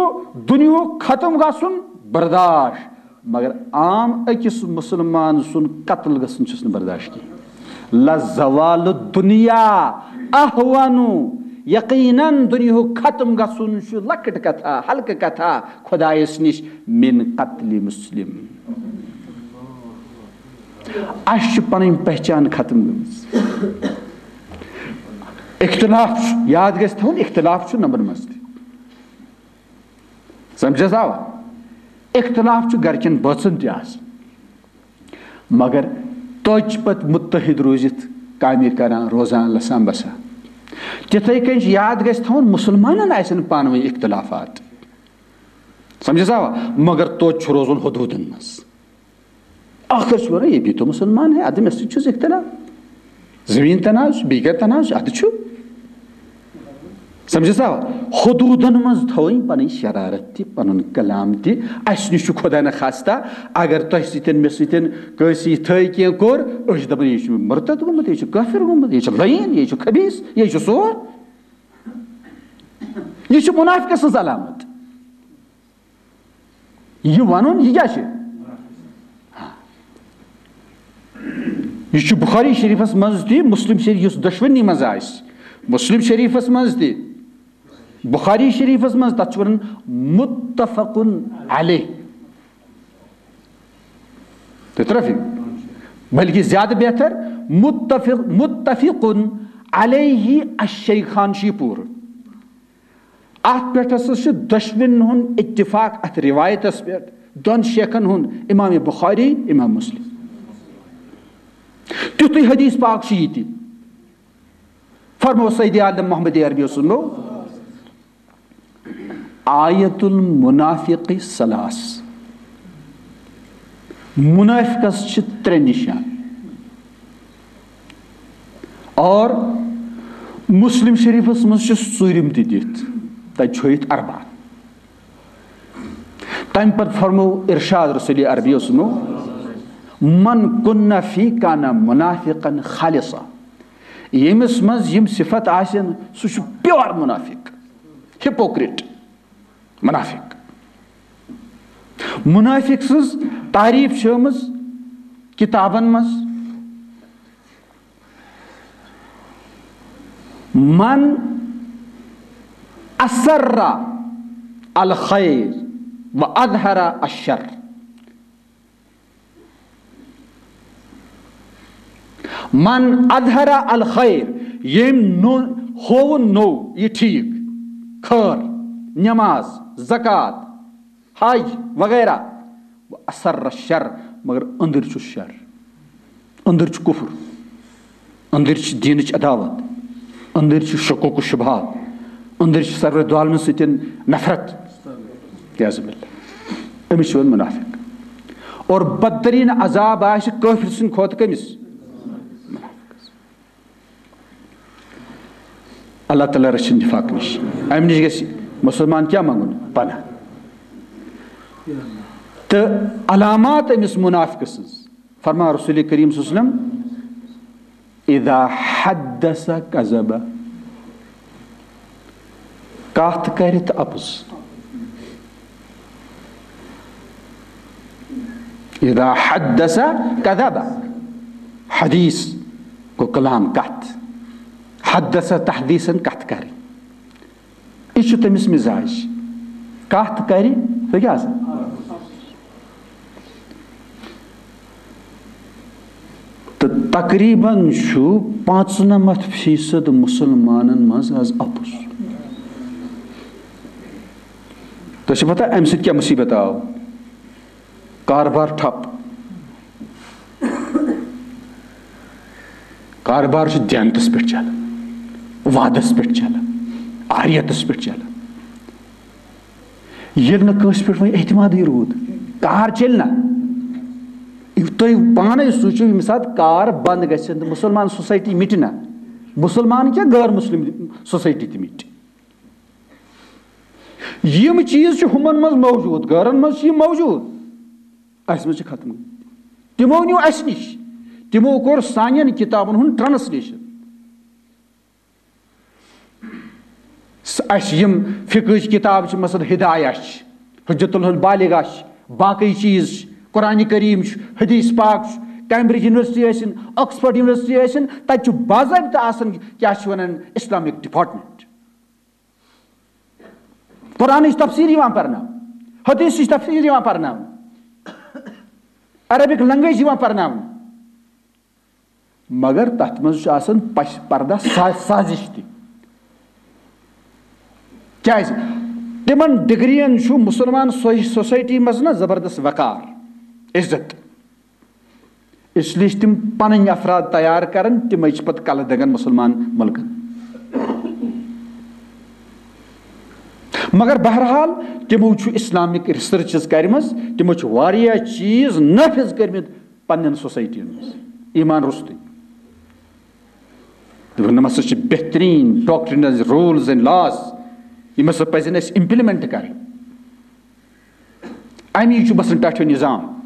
دُنیہُک ختم گژھُن برداش، مگر عام أکِس مسلمان سُنٛد قتل گژھُن چھُس نہٕ برداش کینٛہہ۔ لزوال الدنیا اہون، یقیناً دُنیہُک ختم گژھُن چھُ لۄکٕٹ کتھا، ہلکہٕ کتھا خۄدایس نِش، من قتل مسلم۔ اَسہِ چھِ پنٕنۍ پہچان ختم گٔمٕژ۔ اختلاف چھُ، یاد گژھِ تھاوُن، اختلاف چھُ نمبر منٛز تہِ۔ سمجھس آوا؟ اختلاف چھُ گرِکٮ۪ن بٲژن تہِ آسان، مگر توتہِ چھِ پتہٕ متحد روٗزِتھ کامہِ کران، روزان، لسان بسان۔ تِتھے کٔنۍ چھُ، یاد گژھِ تھاوُن، مسلمانن آسن پانہٕ ؤنۍ اختلافات، سمجھس آوا؟ مگر توتہِ چھُ روزُن حدوٗدن منٛز۔ ٲخر چھُ ونان، یہ بھی تو مسلمان ہے، ادٕ مےٚ سۭتۍ چھُس اختلاف۔ زٔمیٖن تنازٕ چھُ، بیٚیہِ کیٛاہ تنازٕ چھُ، ادٕ چھُ۔ سمجھس آوا؟ حدوٗدن منٛز تھٲوٕنۍ پنٕنۍ شرارت تہِ، پنُن کلام تہِ۔ اسہِ نِش چھُ خدا نخواستہ اگر تۄہہِ سۭتۍ، مےٚ سۭتۍ کٲنٛسہِ یِتھٲے کینٛہہ کوٚر، أسۍ چھِ دپان، یہِ چھُ مرتد گوٚمُت، یہِ چھُ کٲفر گوٚمُت، یہِ چھُ لعین، یہِ چھُ خبیث، یہِ چھُ سور۔ یہِ چھُ منافقہٕ سٕنٛز علامت۔ یہِ ونُن، یہِ کیٛاہ چھُ؟ یہِ چھُ بخاری شریفس منٛز تہِ، مسلم شریف، یُس دۄشوٕنی منٛز آسہِ، مسلم شریفس منٛز تہِ، بخاری شریفس منٛز، تتھ چھُ ونان متفق علیہ۔ تترفی، بلکہ زیادٕ بہتر، متفق، متفق علیہ الشیخان چھُ یہِ پوٗرٕ۔ اتھ پٮ۪ٹھ ہسا چھُ دۄشوٕنۍ ہُنٛد اتفاق، اتھ روایتس پٮ۪ٹھ، دۄن شیخن ہُنٛد، امام بخاری، امام مسلم۔ تیُتھُے حدیث پاک چھُ یہِ تہِ۔ فرمو سید عالم محمد عربی سُنٛد، آیت المنافق ثلاث، منافقس چھِ ترٛےٚ نشان۔ اور مسلم شریفس منٛز چھِ ژوٗرِم تہِ دِتھ، تتہِ چھُ ہٲیِتھ اربع۔ تمہِ پتہٕ فرمو ارشاد رسول عربی سُنٛد، من کن فی کان منافقا خالصا۔ ییٚمِس منٛز یِم صفت آسن، سُہ چھُ پیور منافق، ہپوکریٹ۔ منافق۔ منافق سٕنٛز تعریف چھِ آمٕژ کتابن منٛز، من اسر الخیر و اظہر الشر۔ من اظہر الخیر، ییٚمۍ نو-، ہووُن نوٚو یہِ ٹھیٖک، خٲر، نماز، زکوٰۃ، حج وغیرہ، و اسر الشر، مگر أنٛدٕرۍ چھُ شر، أنٛدٕرۍ چھُ کفر۔ أنٛدٕرۍ چھِ دیٖنٕچ عداوت، أنٛدٕرۍ چھِ شکوک و شبہات، أنٛدٕرۍ چھِ سرور دو عالمن سۭتۍ نفرت۔ عیاذ باللہ۔ أمِس چھِ وَنان منافق۔ اور بدترین عذاب آسہِ کٲفر سٕنٛدِ کھۄتہٕ کٔمِس؟ منافقس۔ اللہ تعالیٰ رٔچھِن نفاق نِش۔ اَمہِ نِش گژھِ مسلمان کیٛاہ منٛگُن؟ پناہ۔ تہٕ علامات أمِس منافقہٕ سٕنٛز۔ فرمان رسول کریم صلی اللہ علیہ وسلم، اذا حدث کذب، کتھ کرِ تہٕ اپُز۔ اذا حدث کذب، حدیث گوٚو کلام، کتھ۔ حدث تحدیثاً، کتھ کرِ۔ یہِ چھُ تٔمِس مزاج۔ کتھ کرِ، سُہ کیٛاہ سا؟ تہٕ تقریباً چھُ پانٛژنمتھ فیصد مسلمانن منٛز از اپُز۔ تۄہہِ چھِ پتہ امہِ سۭتۍ کیٛاہ مصیبت آو؟ کاربار ٹھپ۔ کاربار چھُ دینتس پٮ۪ٹھ چلان، وعدس پٮ۪ٹھ چلان، آریتس پٮ۪ٹھ چلان۔ ییٚلہِ نہٕ کٲنٛسہِ پٮ۪ٹھ وۄنۍ اعتمادٕے روٗد، کار چلہِ نہ۔ تُہۍ پانے سوٗنٛچِو، ییٚمہِ ساتہٕ کار بنٛد گژھِ تہٕ مُسلمان سوسایٹی مِٹہِ نہ، مُسلمان کیٛاہ، غٲر مُسلِم سوسایٹی تہِ مِٹہِ۔ یِم چیٖز چھِ ہُمن منٛز موجوٗد، غٲرن منٛز چھِ یِم موجوٗد، اَسہِ منٛز چھِ ختم گٔمٕتۍ۔ تِمو نیوٗ اَسہِ نِش، تِمو کوٚر سانٮ۪ن کِتابن ہُنٛد ٹرانسلیشن۔ س-، اَسہِ یِم فقہٕچ کِتاب چھِ، مثلاً ہدایہ چھِ، حجت البالغہ چھِ، باقٕے چیٖز چھِ، قرآن کریم چھُ، حدیث پاک چھُ، کیمبرج یونیورسٹی ٲسِن، آکسفورڈ یونیورسٹی ٲسِن، تَتہِ چھُ باضٲبطہٕ آسان کیٛاہ چھِ وَنان اسلامک ڈپارٹمنٹ۔ قرآنٕچ تفسیٖر یِوان پرناونہٕ، حدیثٕچ تفسیٖر یِوان پرناونہٕ، عربک لنگویج یِوان پرناونہٕ۔ مگر تتھ منٛز چھُ آسان پش-، پردہ سا-، سازش تہِ۔ کیازِ؟ تِمن ڈگرین چھُ مسلمان سوسایٹی منٛز نہ زبردست وقار، عزت۔ اس لیے چھِ تِم پنٕنۍ افراد تیار کران، تِمے چھِ پتہٕ کلہٕ دگان مسلمان ملکن۔ مگر بہرحال، تِمو چھُ اسلامک ریسرچز کرِمژ، تِمو چھِ واریاہ چیٖز نافذ کٔرمٕتۍ پننٮ۪ن سوسایٹین منٛز، ایمان روٚستُے۔ دوٚپُن، یِم ہسا چھِ بہتریٖن doctrines، rules and laws، یِم ہسا پزن اَسہِ implement کرٕنۍ۔ اَمی چھُ بسان ٹاٹھیو نظام۔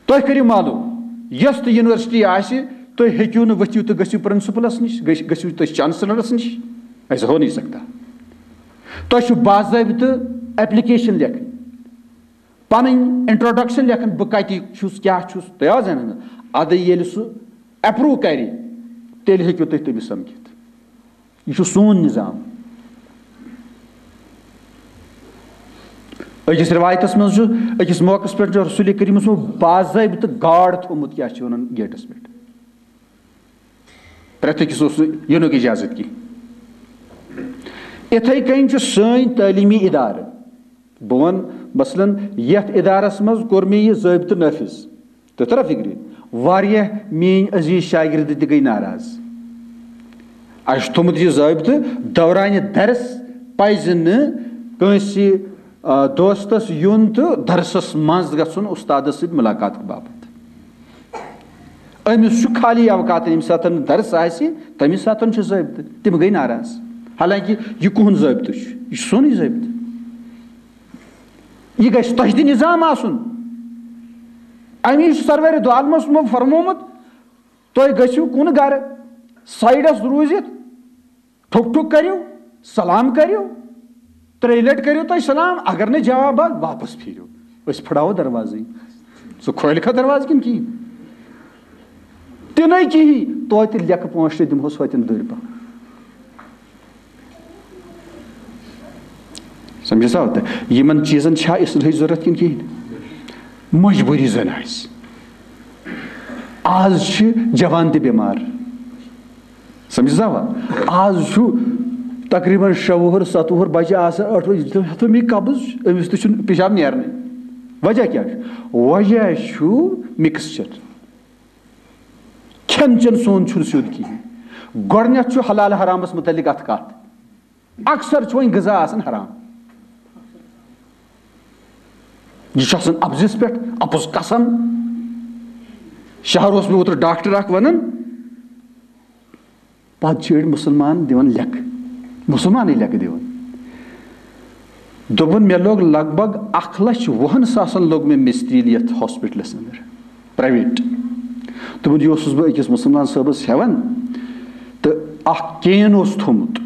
تُہۍ کٔرِو معلوم، یۄس تہِ یونیورسٹی آسہِ، تُہۍ ہیٚکِو نہٕ ؤتھِو تہٕ گٔژھِو پرنسپلس نِش، گٔژھ-، گٔژھِو تُہۍ چانسلرس نِش، ایسا ہو نہیں سکتا۔ تۄہہِ چھُ باضٲبطہٕ ایپلیکیشن لیکھٕنۍ، پنٕنۍ انٹروڈکشن لیکھٕنۍ، بہٕ کتہِ چھُس، کیٛاہ چھُس، تۄہہِ آو زاننہٕ؟ ادٕ ییٚلہِ سُہ اپروو کرِ، تیٚلہِ ہیٚکِو تُہۍ تٔمِس سمکھِتھ۔ یہِ چھُ سون نظام۔ أکِس رِوایتَس منٛز چھُ، أکِس موقعَس پٮ۪ٹھ چھُ رسول کریٖمَس منٛز باضٲبطہٕ گارڈ تھوٚومُت، کیٛاہ چھِ وَنان، گیٹَس پٮ۪ٹھ۔ پرٛٮ۪تھ أکِس اوس نہٕ یِنُک اِجازت کینٛہہ۔ یِتھَے کٔنۍ چھُ سٲنۍ تعلیٖمی اِدارٕ۔ بہٕ وَنہٕ، مثلاً، یَتھ اِدارَس منٛز کوٚر مےٚ یہِ ضٲبطہٕ نٲفِذ۔ تُہۍ ترا فِکرِ؟ واریاہ میٲنۍ عزیٖز شاگرد تہِ گٔے ناراض۔ اَسہِ چھُ تھوٚمُت یہِ ضٲبطہٕ، دورانہِ درس پَزِ نہٕ کٲنٛسہِ، آ، دوستس یُن تہٕ درسس منٛز گژھُن اُستادس سۭتۍ مُلاقات باپتھ۔ أمِس چھُ خٲلی اوقات، ییٚمہِ ساتہٕ نہٕ درس آسہِ، تَمہِ ساتہٕ چھُ ضٲبطہٕ۔ تِم گٔے ناراض۔ حالانکہِ یہِ کُہُنٛد ضٲبطہٕ چھُ؟ یہِ چھُ سونُے ضٲبطہٕ۔ یہِ گژھِ تۄہہِ تہِ نظام آسُن۔ اَمی چھُ سرورِ دو عالمَس منٛز فرمومُت، تُہۍ گٔژھِو کُن گرٕ، سایڈَس روٗزِتھ، ٹھُک ٹھُک کٔرِو، سلام کٔرِو، ترٛیٚیہِ لَٹہِ کٔرِو تُہۍ سلام، اگر نہٕ جواب آو، واپس پھیٖرِو۔ أسۍ پھٕڑاوو دروازٕے۔ سُہ کھولہِ کھا دروازٕ کِنہٕ کِہیٖنۍ؟ تہِ نَے کِہیٖنۍ، توتہِ لیٚکھٕ پانٛژھ شےٚ دِمہوس ہوتٮ۪ن دٔرۍ پَہَن۔ سمجھِ سا؟ تہٕ یِمن چیٖزن چھا اصلٲحٕچ ضروٗرت کِنہٕ کِہیٖنۍ؟ مجبوٗری زن آسہِ۔ آز چھِ جوان تہِ بٮ۪مار۔ سمجھِ سا؟ آز چھُ تقریباً شےٚ وُہُر، ستہٕ وُہُر بچہِ آسان، ٲٹھ وُہُر، ہتو مےٚ قبض، أمِس تہِ چھُنہٕ پیشاب نیرنٕے۔ وجہ کیٛاہ چھُ؟ وجہ چھُ مِکسچر۔ کھٮ۪ن چٮ۪ن سون چھُنہٕ سیوٚد کِہیٖنۍ۔ گۄڈٕنٮ۪تھ چھُ حلال حرامس مُتعلق اَتھ کَتھ۔ اکثر چھُ وۄنۍ غذا آسان حرام۔ یہِ چھُ آسان اَپزِس پٮ۪ٹھ، اَپُز قسم۔ شہر اوس مےٚ اوترٕ ڈاکٹر اکھ وَنان، پَتہٕ چھِ أڑۍ مُسلمان دِوان لیٚکہٕ، مُسلمانٕے لیٚکہٕ دِوان۔ دوٚپُن، مےٚ لوٚگ لگ بگ اَکھ لَچھ وُہَن ساسَن لوٚگ مےٚ مِسترٛیٖل یَتھ ہاسپِٹلَس اَندَر، پرٛایویٹ۔ دوٚپُن، یہِ اوسُس بہٕ أکِس مُسلمان صٲبَس ہٮ۪وان، تہٕ اَکھ کین اوس تھوٚمُت۔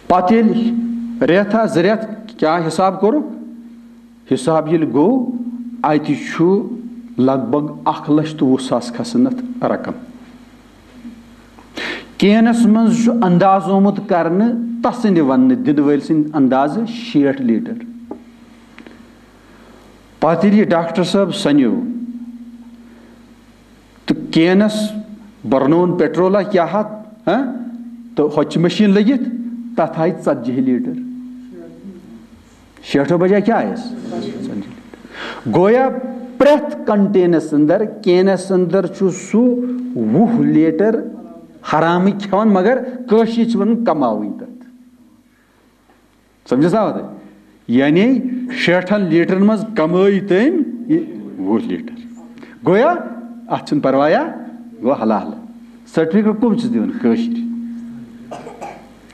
پَتہٕ ییٚلہِ رٮ۪تھا زٕ رٮ۪تھ کیٛاہ حِساب کوٚرُکھ، حِساب ییٚلہِ گوٚو، اَتہِ چھُ لگ بگ اَکھ لَچھ تہٕ وُہ ساس کھسان اَتھ رقم۔ کینس منٛز چھُ انداز آمُت کرنہٕ تسٕنٛدِ وننہٕ دِنہٕ وٲلۍ سٕنٛدِ اندازٕ شیٹھ لیٹر۔ پتہٕ ییٚلہِ یہِ ڈاکٹر صٲب سنیو تہٕ کینس برنون پیٹرولا کیٛاہ ہا، ہاں؟ تہٕ ہۄتہِ چھِ مشیٖن لٔگِتھ، تتھ آیہِ ژتجی لیٹر۔ شیٹھو بجایہِ کیٛاہ آیس؟ گویا پرٛٮ۪تھ کنٹینس اندر، کینس اندر چھُ سُہ وُہ لیٹر حرامٕے کھٮ۪وان، مگر کٲشِرۍ چھِ ونان کماوٕنۍ تتھ۔ سمجھس آو تۄہہِ؟ یعنی شیٹھن لیٹرن منٛز کمٲے تٔمۍ یہِ وُہ لیٹر۔ گویا اتھ چھُنہٕ پروایا، گوٚو حلال۔ سرٹیفکیٹ کم چھِس دِوان؟ کٲشِرۍ۔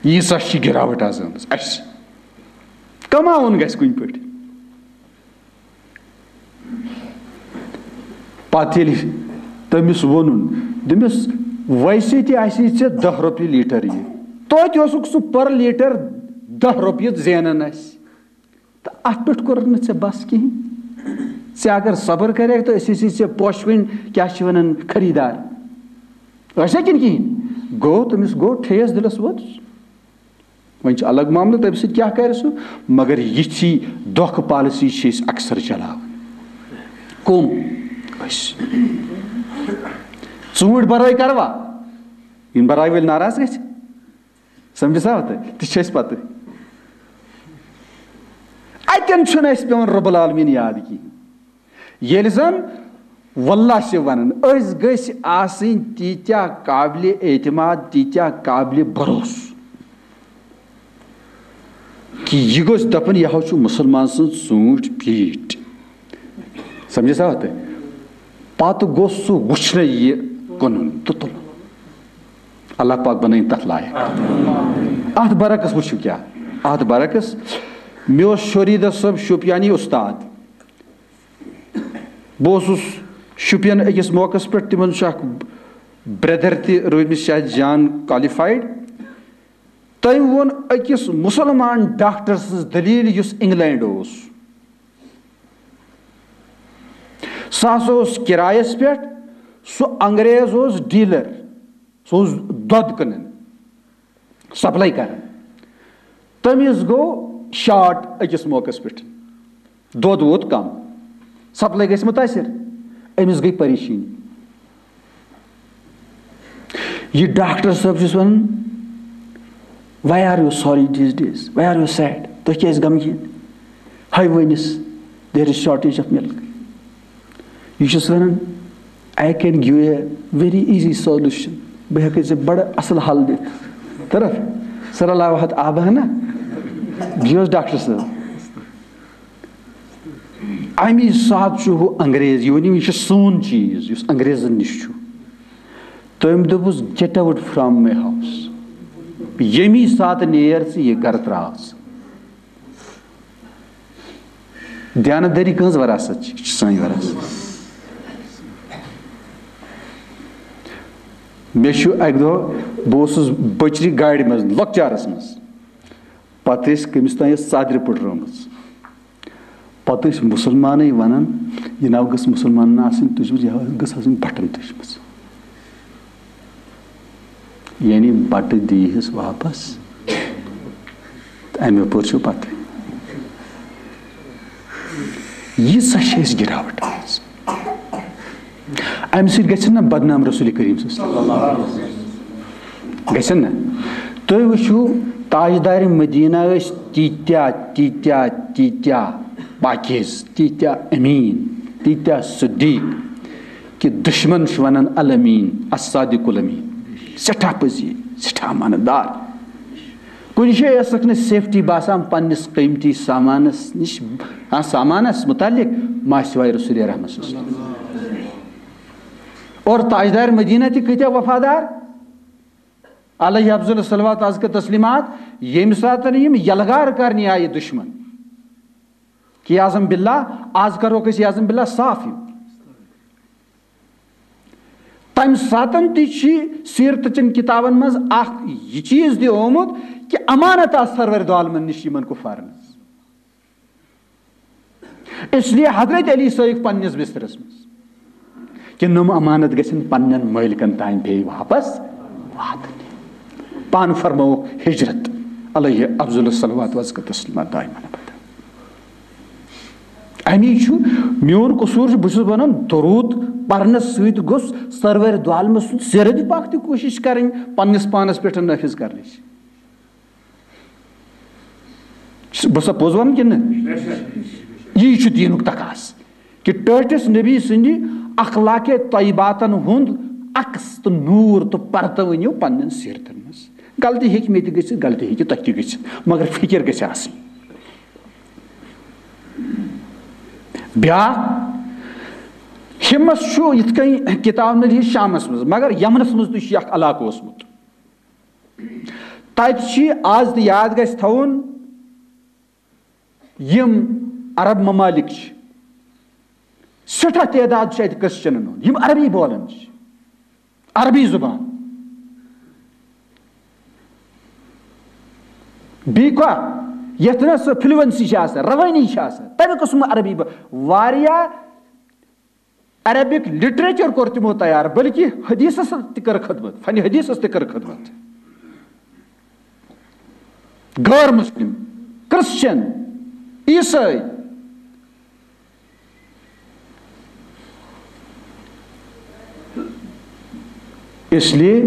ییٖژاہ چھِ گراوٹ آز آمٕژ اسہِ۔ کماوُن گژھِ کُنہِ پٲٹھۍ۔ پتہٕ ییٚلہِ تٔمِس ووٚنُن، دوٚپمَس، "ویسے تہِ آسی ژےٚ دَہ رۄپیہِ لیٖٹر یہِ، توتہِ اوسُکھ ژٕ per لیٖٹر دَہ رۄپیہِ زینان اَسہِ۔ تہٕ اَتھ پٮ۪ٹھ کوٚرُکھ نہٕ ژےٚ بس کِہیٖنۍ۔ ژےٚ اگر صبر کَرٮ۪کھ، تہٕ أسۍ ٲسی ژےٚ پوشہٕ کُنۍ، کیٛاہ چھِ وَنان، خریٖدار۔ ٲسیا کِنہٕ کِہیٖنۍ؟" گوٚو تٔمِس گوٚو ٹھیس دِلس ووٚت۔ وۄنۍ چھُ الگ معاملہٕ، تَمہِ سۭتۍ کیٛاہ کَرِ سُہ، مگر یِژھٕے دھوکہٕ policy چھِ أسۍ اکثر چلاوان۔ کٕم؟ أسۍ۔ ژوٗنٛٹھۍ بَرٲے کَروا؟ یِم بَرٲے وٲلۍ ناراض گژھِ۔ سمجھس آو تۄہہِ؟ تہِ چھِ اَسہِ پَتہٕ۔ اَتٮ۪ن چھُنہٕ اَسہِ پٮ۪وان رب العالمین یاد کِہیٖنۍ۔ ییٚلہِ زن واللہ چھِ ونان، أسۍ گٔژھۍ آسٕنۍ تیٖتیٛاہ قابلِ اعتماد، تیٖتیٛاہ قابلِ بھروسہٕ، کہِ یہِ گوٚژھ دپُن، "یہِ ہا چھُ مُسلمان سٕنٛز ژوٗنٛٹھۍ پیٖٹ۔" سمجھس آو تۄہہِ؟ پتہٕ گوٚژھ سُہ وٕچھنہٕ یہِ کٕنُن تہٕ تُلُن۔ اللہ پاک بنٲیِن تتھ لایق۔ اتھ برعکس وٕچھِو کیٛاہ، اتھ برعکس مےٚ اوس شوریٖدہ صٲب شوپیانی استاد۔ بہٕ اوسُس شُپین أکِس موقعس پٮ۪ٹھ، تِمن چھُ اکھ brother تہِ روٗدمٕتۍ شاید جان qualified۔ تٔمۍ ووٚن أکِس مُسلمان ڈاکٹر سٕنٛز دٔلیٖل، یُس انگلینڈ اوس۔ سُہ ہسا اوس کرایس پٮ۪ٹھ، سُہ انگریز اوس dealer، سُہ اوس دۄد کٕنان، supply کران۔ تٔمِس گوٚو short أکِس موقعس پٮ۪ٹھ، دۄد ووت کم، supply گژھِ مُتٲثر، أمِس گٔے پریشٲنی۔ یہِ ڈاکٹر صٲب چھُس ونان، "Why are you sorry these days? Why are you sad? تُہۍ کیٛازِ غمگیٖن؟ ہاے ؤنِس، there is shortage of milk." یہِ چھُس ونان، "I can give a very easy solution." بہٕ ہٮ۪کہٕ ژےٚ بڑٕ اصل حل دِتھ۔ طرف صلی اللہ وحد آبہ نا، یہِ اوس ڈاکٹر صٲب۔ امی ساتہٕ چھُ ہُہ انگریز، یہِ ؤنِو، یہِ چھُ سون چیٖز، یُس انگریزن نِش چھُ۔ تٔمۍ دوٚپُس، "Get out from my house." ییٚمی ساتہٕ نیر ژٕ یہِ گرٕ تراو ژٕ۔ دیانتدٲری کٕہٕنٛز وراثت چھِ؟ یہِ چھِ سٲنۍ وراثت۔ مےٚ چھُ اَکہِ دۄہ، بہٕ اوسُس بٔچرِ گاڑِ منٛز، لۄکچارَس منٛز۔ پَتہٕ ٲسۍ کٔمِس تام یۄس ژادرِ پٔٹرٲومٕژ۔ پَتہٕ ٲسۍ مُسلمانٕے وَنان، "یہِ ناو گٔژھ مُسلمانَن آسٕنۍ تُجمٕژ، یہِ گٔژھ آسٕنۍ بَٹَن تُجمٕژ۔" یعنی بَٹہٕ دیٖہِس واپَس۔ تہٕ اَمہِ یَپٲرۍ چھُ پَتہٕ۔ ییٖژاہ چھِ اَسہِ گِراوَٹ آمٕژ۔ اَمہِ سۭتۍ گژھِ نہ بدنام رسول کریم صلی اللہ علیہ وسلم؟ گژھِ نہ؟ تُہۍ وٕچھِو، تاجدار مدینہ ٲسۍ تیٖتیٛاہ، تیٖتیٛاہ، تیٖتیٛاہ پاکیز، تیٖتیٛاہ امیٖن، تیٖتیٛاہ صدیٖق، کہِ دُشمن چھُ وَنان الامیٖن، الصادق الامیٖن، سٮ۪ٹھاہ پٔزی، سٮ۪ٹھاہ امانت دار۔ کُنہِ جایہِ ٲسٕکھ نہٕ safety باسان پننِس قۭمتی سامانس نِش، ہاں، سامانس متعلق، ما سوائے رسول رحمت صلی اللہ علیہ وسلم۔ اور تاجدار مدینہ تہِ کۭتیٛاہ وفادار، علیہ افضل الصلوات ازکا تسلیمات، ییٚمہِ ساتہٕ یِم یلغار کرنہِ آیہِ دُشمن، کہ اعظم باللہ، آز کروکھ أسۍ اعظم باللہ صاف یِم۔ تمہِ ساتن تہِ چھِ سیرتہٕ چٮ۪ن کتابن منٛز اکھ یہِ چیٖز تہِ آمُت کہ امانت آسہٕ سرور دو عالمن نِش یِمن کفارن ہٕنٛز۔ اس لیے حضرت علی سٲیِکھ پننِس بسترس منٛز کہ نۄم امانت گژھن پننٮ۪ن مٲلکن تام بیٚیہِ واپس واتٕنۍ۔ پانہٕ فرمٲوُکھ ہجرت، علیہ افضل الصلوات وازکا تسلیمات دائمًا ابدا۔ امی چھُ میون قصوٗر چھُ، بہٕ چھُس ونان درود پرنس سۭتۍ گوٚژھ سرور دو عالمہٕ سُنٛد سیرت پاک تہِ کوٗشش کرٕنۍ پننِس پانس پٮ۪ٹھ نافذ کرنٕچ۔ بہٕ سا پوٚز ونان کِنہٕ نہٕ؟ یی چھُ دیٖنُک تقاضہٕ کہِ ٹٲٹھِس نبی سٕنٛدِ اخلاق طیباتن ہُنٛد عکس تہٕ نوٗر تہٕ پرتہٕ ؤنِو پننٮ۪ن سیرتن منٛز۔ غلطی ہیٚکہِ مےٚ تہِ گٔژھِتھ، غلطی ہیٚکہِ تۄہہِ تہِ گٔژھِتھ، مگر فکر گژھِ آسٕنۍ۔ بیٛاکھ، ہمس چھُ یِتھ کٔنۍ کتاب نٔری شامس منٛز، مگر یمنس منٛز تہِ چھُ یہِ اکھ علاقہٕ اوسمُت۔ تتہِ چھِ آز تہِ یاد گژھِ تھاوُن، یِم عرب ممالک چھِ، سٮ۪ٹھاہ تعداد چھُ اَتہِ کرسچنن ہُنٛد، یِم عربی بولان چھِ، عربی زبان۔ بیٚیہِ کیٛاہ؟ یَتھ نہٕ سۄ فلوئنسی چھِ آسان، روٲنی چھِ آسان، تَمہِ قٕسمہٕ عربی بو-، واریاہ عربک لٹریچر کوٚر تِمو تیار، بلکہ حدیثس تہِ کٔر خدمت، فن حدیثس تہِ کٔر خدمت۔ غٲر مسلم، کرسچن، عیسائی۔ اس لیے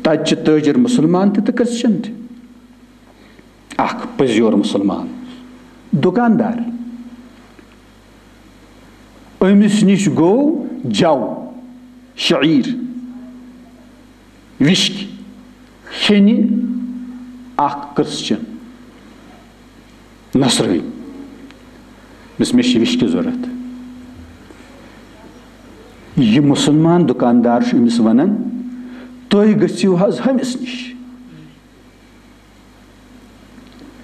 تتہِ چھِ تاجر مسلمان تہِ تہٕ کرسچن تہِ۔ اکھ پٔزیور مسلمان دُکاندار، أمِس نِش گوٚو جَو، شعیٖر، وِشکہِ کھیٚنہِ اکھ کرسچن نصرٲنۍ۔ دوٚپمَس، "مےٚ چھِ وِشکہِ ضوٚرَتھ۔" یہِ مُسلمان دُکاندار چھُ أمِس وَنان، "تُہۍ گٔژھِو حظ ہُمِس نِش۔"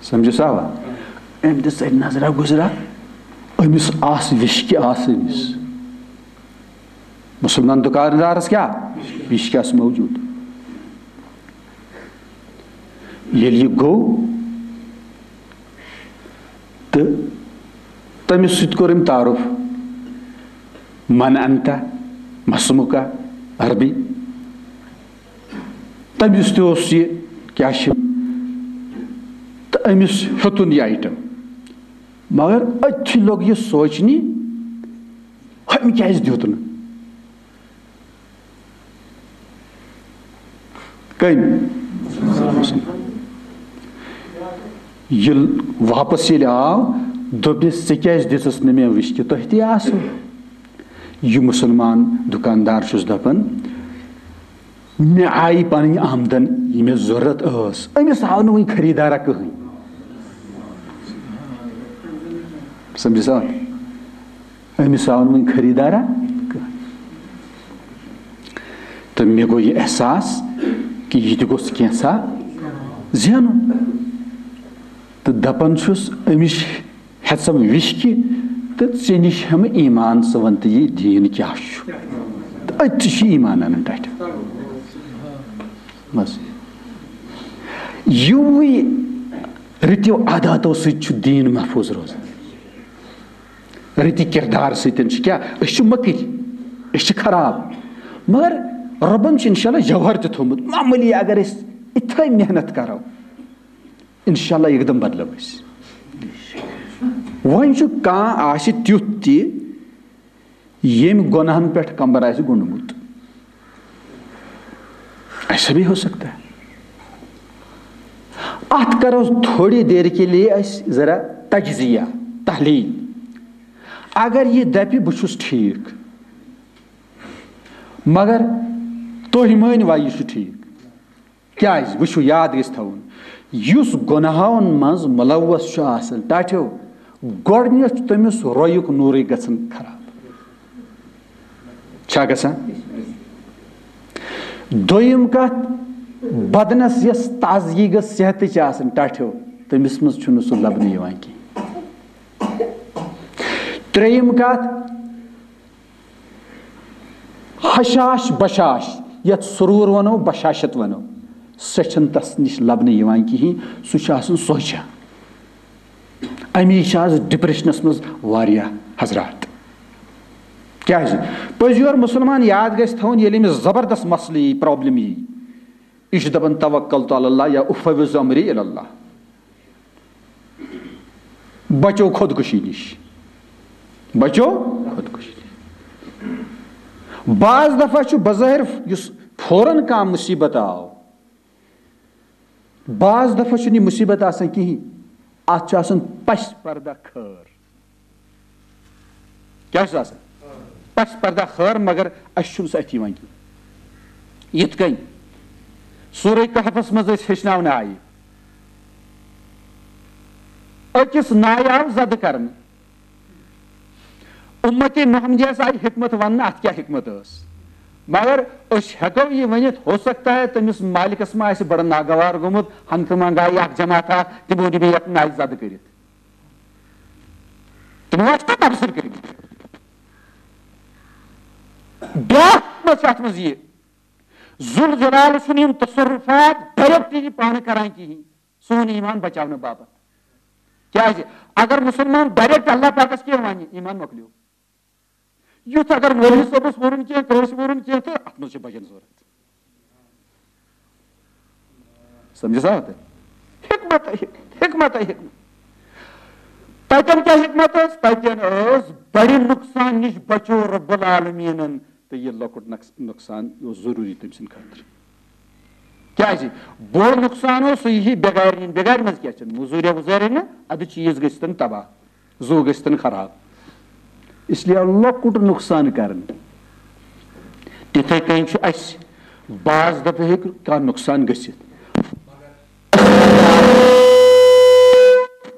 سمجھو سا؟ أمۍ دِژ اَتہِ نظرا گُزرا، أمِس آسہٕ وِشکہِ آسہٕ أمِس۔ مُسلمان دُکاندارَس کیٛاہ؟ وِشکہِ آسہٕ موجوٗد۔ ییٚلہِ یہِ گوٚو تہٕ تٔمِس سۭتۍ کوٚر أمۍ تعارُف، "من انت، مسمک"، عربی۔ تٔمِس تہِ اوس یہِ، کیٛاہ چھِ، تہٕ أمِس ہیوٚتُن یہِ آیٹم۔ مگر أتھی لوٚگ یہِ سونٛچنہِ، "ہُمۍ کیٛازِ دیُت نہٕ؟" کٔمۍ؟ ییٚلہِ واپس ییٚلہِ آو، دوٚپنَس، "ژےٚ کیٛازِ دِژٕس نہٕ مےٚ وِشکہِ؟ تۄہہِ تہِ آسہٕ۔" یہِ مُسلمان دُکاندار چھُس دَپان، مےٚ آیہِ پنٕنۍ آمدن، یہِ مےٚ ضروٗرت ٲس، أمِس آو نہٕ وُنہِ خریٖدارا کٕہٕنۍ۔ سمجھِ سا؟ أمِس آو نہٕ وُنہِ خریٖدارا کٕہٕنۍ۔ تہٕ مےٚ گوٚو یہِ احساس کہِ یہِ تہِ گوٚژھ کینٛژھا زینُن۔ تہٕ دپان چھُس، أمِس ہٮ۪ژم وِشکہِ تہٕ ژےٚ نِش ہٮ۪مہٕ ایمان، ژٕ وَن تہٕ یہِ دیٖن کیٛاہ چھُ؟ تہٕ أتھۍ چھُ ایمان اَنان ٹَٹھِ۔ بس۔ یِموٕے رٕتیو عاداتو سۭتۍ چھُ دیٖن محفوٗظ روزان۔ رٕتہِ کِردار سۭتۍ چھِ کیٛاہ؟ أسۍ چھِ مٔکٕرۍ، أسۍ چھِ خراب۔ مگر رۄبَن چھُ اِنشاءاللہ جوہر تہِ تھوٚومُت۔ معموٗلی اگر أسۍ اِتھَے محنت کَرو، اِنشاءاللہ یکدم بدلو أسۍ۔ وۄنۍ چھُ کانٛہہ آسہِ تیُتھ تہِ، ییٚمۍ گۄناہن پٮ۪ٹھ کمبر آسہِ گوٚنڈمُت۔ ایسا بھی ہو سکتا ہے۔ اتھ کرو تھوڑی دیر کے لیے أسۍ ذرا تجزیہ، تحلیل۔ اگر یہِ دپہِ، "بہٕ چھُس ٹھیٖک"، مگر تُہۍ مٲنۍ وا یہِ چھُ ٹھیٖک؟ کیٛازِ؟ وٕچھِو، یاد گژھِ تھاوُن، یُس گۄناہَن منٛز مُلوث چھُ آسان، ٹاٹھیو، گۄڈٕنیتھ چھُ تٔمِس رویُک نوٗرٕے گژھان خراب۔ چھا گژھان؟ دوٚیِم کَتھ، بدنَس یۄس تازگی گٔژھ صحتٕچ آسٕنۍ، ٹاٹھیو، تٔمِس منٛز چھُنہٕ سُہ لَبنہٕ یِوان کینٛہہ۔ ترٛیٚیِم کَتھ، ہشاش بشاش، یتھ سرور ونو، بشاشت ونو، سۄ چھنہٕ تس نِش لبنہٕ یِوان کِہیٖنۍ۔ سُہ چھُ آسان سونٛچان۔ امی چھِ آز ڈپریشنس منٛز واریاہ حضرات۔ کیازِ؟ پٔزۍ یور مسلمان یاد گژھِ تھاوُن، ییٚلہِ أمِس زبردست مسلہٕ یی، پرابلم یی، یہِ چھُ دَپان، "توکلت علی اللہ" یا "افوض امری الی اللہ"۔ بچو خودکشی نِش۔ بچو خودکشی نِش۔ بعض دفعہ چھُ بظٲہر یُس فوراً کانٛہہ مُصیبت آو، بعض دفعہ چھُنہٕ یہِ مُصیبت آسان کِہیٖنۍ۔ اَتھ چھُ آسان پس پردہ خٲر۔ کیٛاہ چھُس آسان؟ پس پردہ خٲر، مگر اَسہِ چھُنہٕ سُہ اَتھِ یِوان کینٛہہ۔ یِتھ کٔنۍ سورہ کہفس منٛز أسۍ ہیٚچھناونہٕ آیہِ، أکِس نایہِ آو زدٕ کرنہٕ۔ اُمتِ محمدیس آیہِ حکمت وننہٕ، اَتھ کیٛاہ حکمت ٲس؟ مگر أسۍ ہٮ۪کو یہِ ؤنِتھ، ہو سکتا ہے تٔمِس مالکس ما آسہِ بڑٕ ناگوار گوٚمُت، ہنگتہٕ منگہٕ آیہِ اکھ جماعت اکھ، تِمو نِبے یتھ نایہِ زدٕ کٔرِتھ۔ تِمو آسہِ تَتھ تبصرٕ کٔرمٕتۍ۔ بیٛاکھ حکمت چھِ اَتھ منٛز یہِ، ذوالجلال چھُنہٕ یِم تصرفات ڈائریکٹ یہِ پانہٕ کران کِہیٖنۍ، سون ایمان بچاونہٕ باپتھ۔ کیٛازِ؟ اگر مسلمان ڈائریکٹ اللہ پاکس کینٛہہ ونہِ، ایمان مۄکلیو۔ یُتھ اگر مولوی صٲبس ووٚنُن کینٛہہ، کٲنٛسہِ ووٚنُن کینٛہہ، تہٕ اتھ منٛز چھِ بجن ضروٗرت۔ سمجھِ سا تُہۍ؟ حکمت، حکمت، حکمت۔ تتٮ۪ن کیٛاہ حکمت ٲس؟ تتٮ۪ن ٲس بڑِ نقصان نِش بچو رب العالمیٖنن، تہٕ یہِ لۄکُٹ نقص-، نقصان یہِ اوس ضروٗری تٔمۍ سٕنٛدِ خٲطرٕ۔ کیٛازِ؟ بوٚڑ نقصان اوس سُہ یِہی بٮ۪گارِ نِنۍ۔ بٮ۪گارِ منٛز کیٛاہ چھِ؟ مٔزوٗریا ؤزوٗریا نہٕ، اَدٕ چیٖز گٔژھتن تباہ۔ زُو گٔژھتن خراب۔ اس لیے لۄکُٹ نۄقصان کرٕنۍ۔ تِتھے کٔنۍ چھُ اَسہِ بعض دفعہ ہیٚکہِ کانٛہہ نۄقصان گٔژھِتھ۔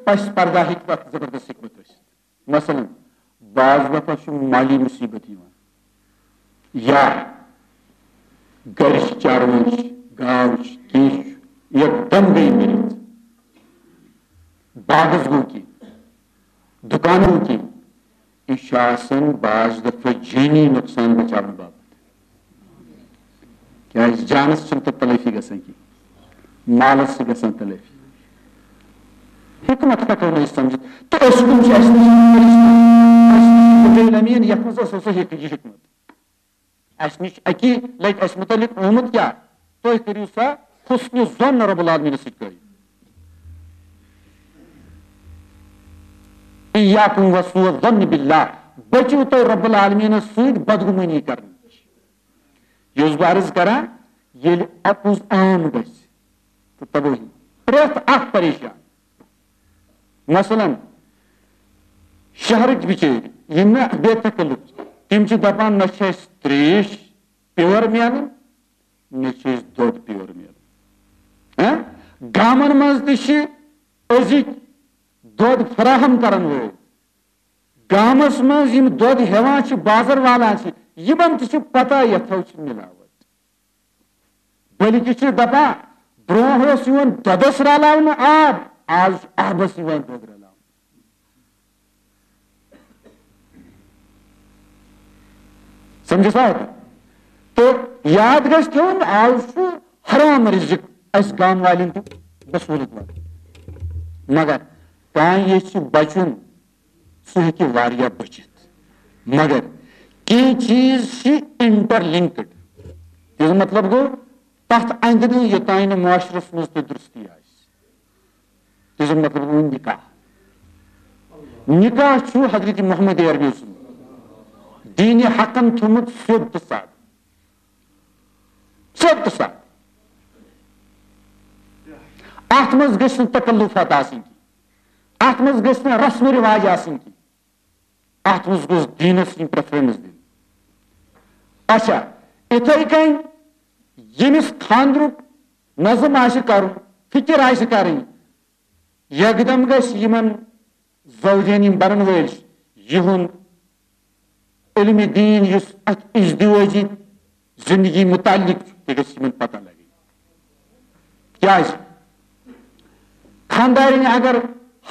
پس پردہ ہیٚکہِ تَتھ زبردست حکمت ٲسِتھ۔ مثلاً، بعض دفعہ چھُ مالی مصیبت یِوان، یا گرِچ چاروٲے چھِ، گاو چھِ، کینٛہہ چھُ، یکدم گٔے مٔرِتھ، باغس گوٚو کینٛہہ، دُکان گوٚو کینٛہہ۔ یہِ چھُ آسان بعض دفعہ جٲنی نۄقصان بچاونہٕ باپتھ۔ کیٛازِ؟ جانس چھنہٕ تتھ تلٲفی گژھان کینٛہہ، مالس چھِ گژھان تلٲفی۔ حکمت ہٮ۪کو نہٕ أسۍ سمجھِتھ۔ تہٕ أسۍ کٕم چھِ؟ اَسہِ نِش چھِ فرشتہٕ، اَسہِ نِش چھِ جبرائیل امین، یتھ منٛز اوس سُہ حکمت۔ اَسہِ نِش اَکی لٹہِ اَسہِ مُتعلِق آمُت کیٛاہ؟ تُہۍ کٔرِو سا حسنِ ظن رب العالمینس سۭتۍ قٲیِم۔ ایاکم وسوء الظن باللہ، بٔچِو تُہۍ رب العالمینس سۭتۍ بدگمٲنی کرنہٕ نِش۔ یہِ اوسُس بہٕ عرض کران، ییٚلہِ اپُز عام گژھِ تہٕ تبٲہی، پرٛٮ۪تھ اکھ پریشان۔ مثلاً، شہرٕکۍ بِچٲرۍ، یِم نہٕ بے تکلف چھِ، تِم چھِ دپان، نہ چھِ اَسہِ ترٛیش پیور میلان، نہ چھِ اَسہِ دۄد پیور میلان۔ ہاں؟ گامن منٛز تہِ چھِ أزِکۍ دۄد فراہم کرن وٲلۍ، گامس منٛز یِم دۄد ہٮ۪وان چھِ، بازر والان چھِ، یِمن تہِ چھِ پتہ یتھو چھِ ملاوٹ۔ بلکہِ چھِ دپان، برونٛہہ اوس یِوان دۄدس رلاونہٕ آب، آز چھُ آبس یِوان دۄد رلاونہٕ۔ سمجھس آو تۄہہِ؟ تہٕ یاد گژھِ تھاوُن، آز چھُ حرام رزق اسہِ گام والٮ۪ن تہِ بصوٗرت واتان۔ مگر کانٛہہ ییٚژھِ بچُن، سُہ ہیٚکہِ واریاہ بٔچِتھ۔ مگر کینٛہہ چیٖز چھِ انٹر لنکڈ۔ تمیُک مطلب گوٚو، تتھ اندِ نہٕ یوٚتام نہٕ معاشرس منٛز تہِ درستی آسہِ۔ تمیُک مطلب گوٚو نکاح۔ نکاح چھُ حضرت محمد عربی سُنٛد دین حقن تھوٚمُت سیوٚد تہٕ سادٕ۔ سیوٚد تہٕ سادٕ۔ اتھ منٛز گژھِ نہٕ تکلفات آسٕنۍ کینٛہہ۔ اتھ منٛز گژھِ نہٕ رسم و رواج آسٕنۍ کینٛہہ۔ اتھ منٛز گوٚژھ دیٖنس یِنۍ پریفرنس دِنہٕ۔ اچھا، اِتھے کٔنۍ ییٚمِس خانٛدرُک نظم آسہِ کرُن، فکر آسہِ کرٕنۍ، یکدم گژھِ یِمن زوجین، یِم بنن وٲلۍ چھِ، یِہُنٛد علم دین یُس اتھ ازدواجی زندگی متعلق چھُ، تہِ گژھِ یِمن پتہ لگٕنۍ۔ کیازِ؟ خاندارنۍ اگر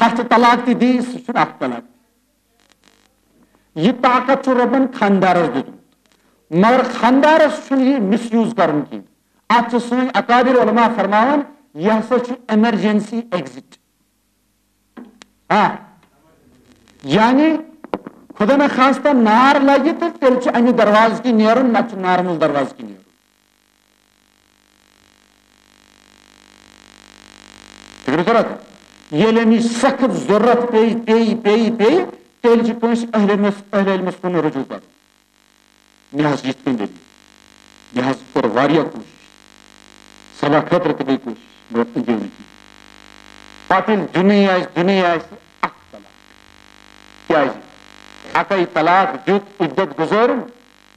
ہتھ طلاق تہِ دی، سُہ چھُنہٕ اکھ طلاق۔ یہِ طاقت چھُ رۄبن خاندارس دیُتمُت، مگر خاندارس چھُنہٕ یہِ مس یوز کرُن کینٛہہ۔ اتھ چھِ سٲنۍ اکابر علماء فرماوان، یہِ ہسا چھُ ایمرجنسی ایگزٹ۔ آ، یعنی خدا نخواستہ نار لگہِ تہٕ تیٚلہِ چھُ امہِ دروازٕ کِنۍ نیرُن، نتہٕ چھُ نارمل دروازٕ کِنۍ نیرُن۔ فطرت، ییٚلہِ أمِس سخت ضروٗرت پیٚیہِ، پیٚیہِ، پیٚیہِ، پیٚیہِ، تیٚلہِ چھِ کٲنٛسہِ اہل علمس، اہل علمس کُن رجوع کرُن۔ مےٚ حظ یِتھ کٔنۍ دٔلیٖل، مےٚ حظ کٔر واریاہ کوٗشِش، صلاح خٲطرٕ تہِ گٔے کوٗشِش، مگر تہِ گٔے نہٕ کِہیٖنۍ۔ پتہٕ ییٚلہِ دیُنٕے آسہِ، دیُنٕے آسہِ، اکھ طلاق۔ کیٛازِ؟ اکے طلاق دیُت، عدت گُزٲرٕن،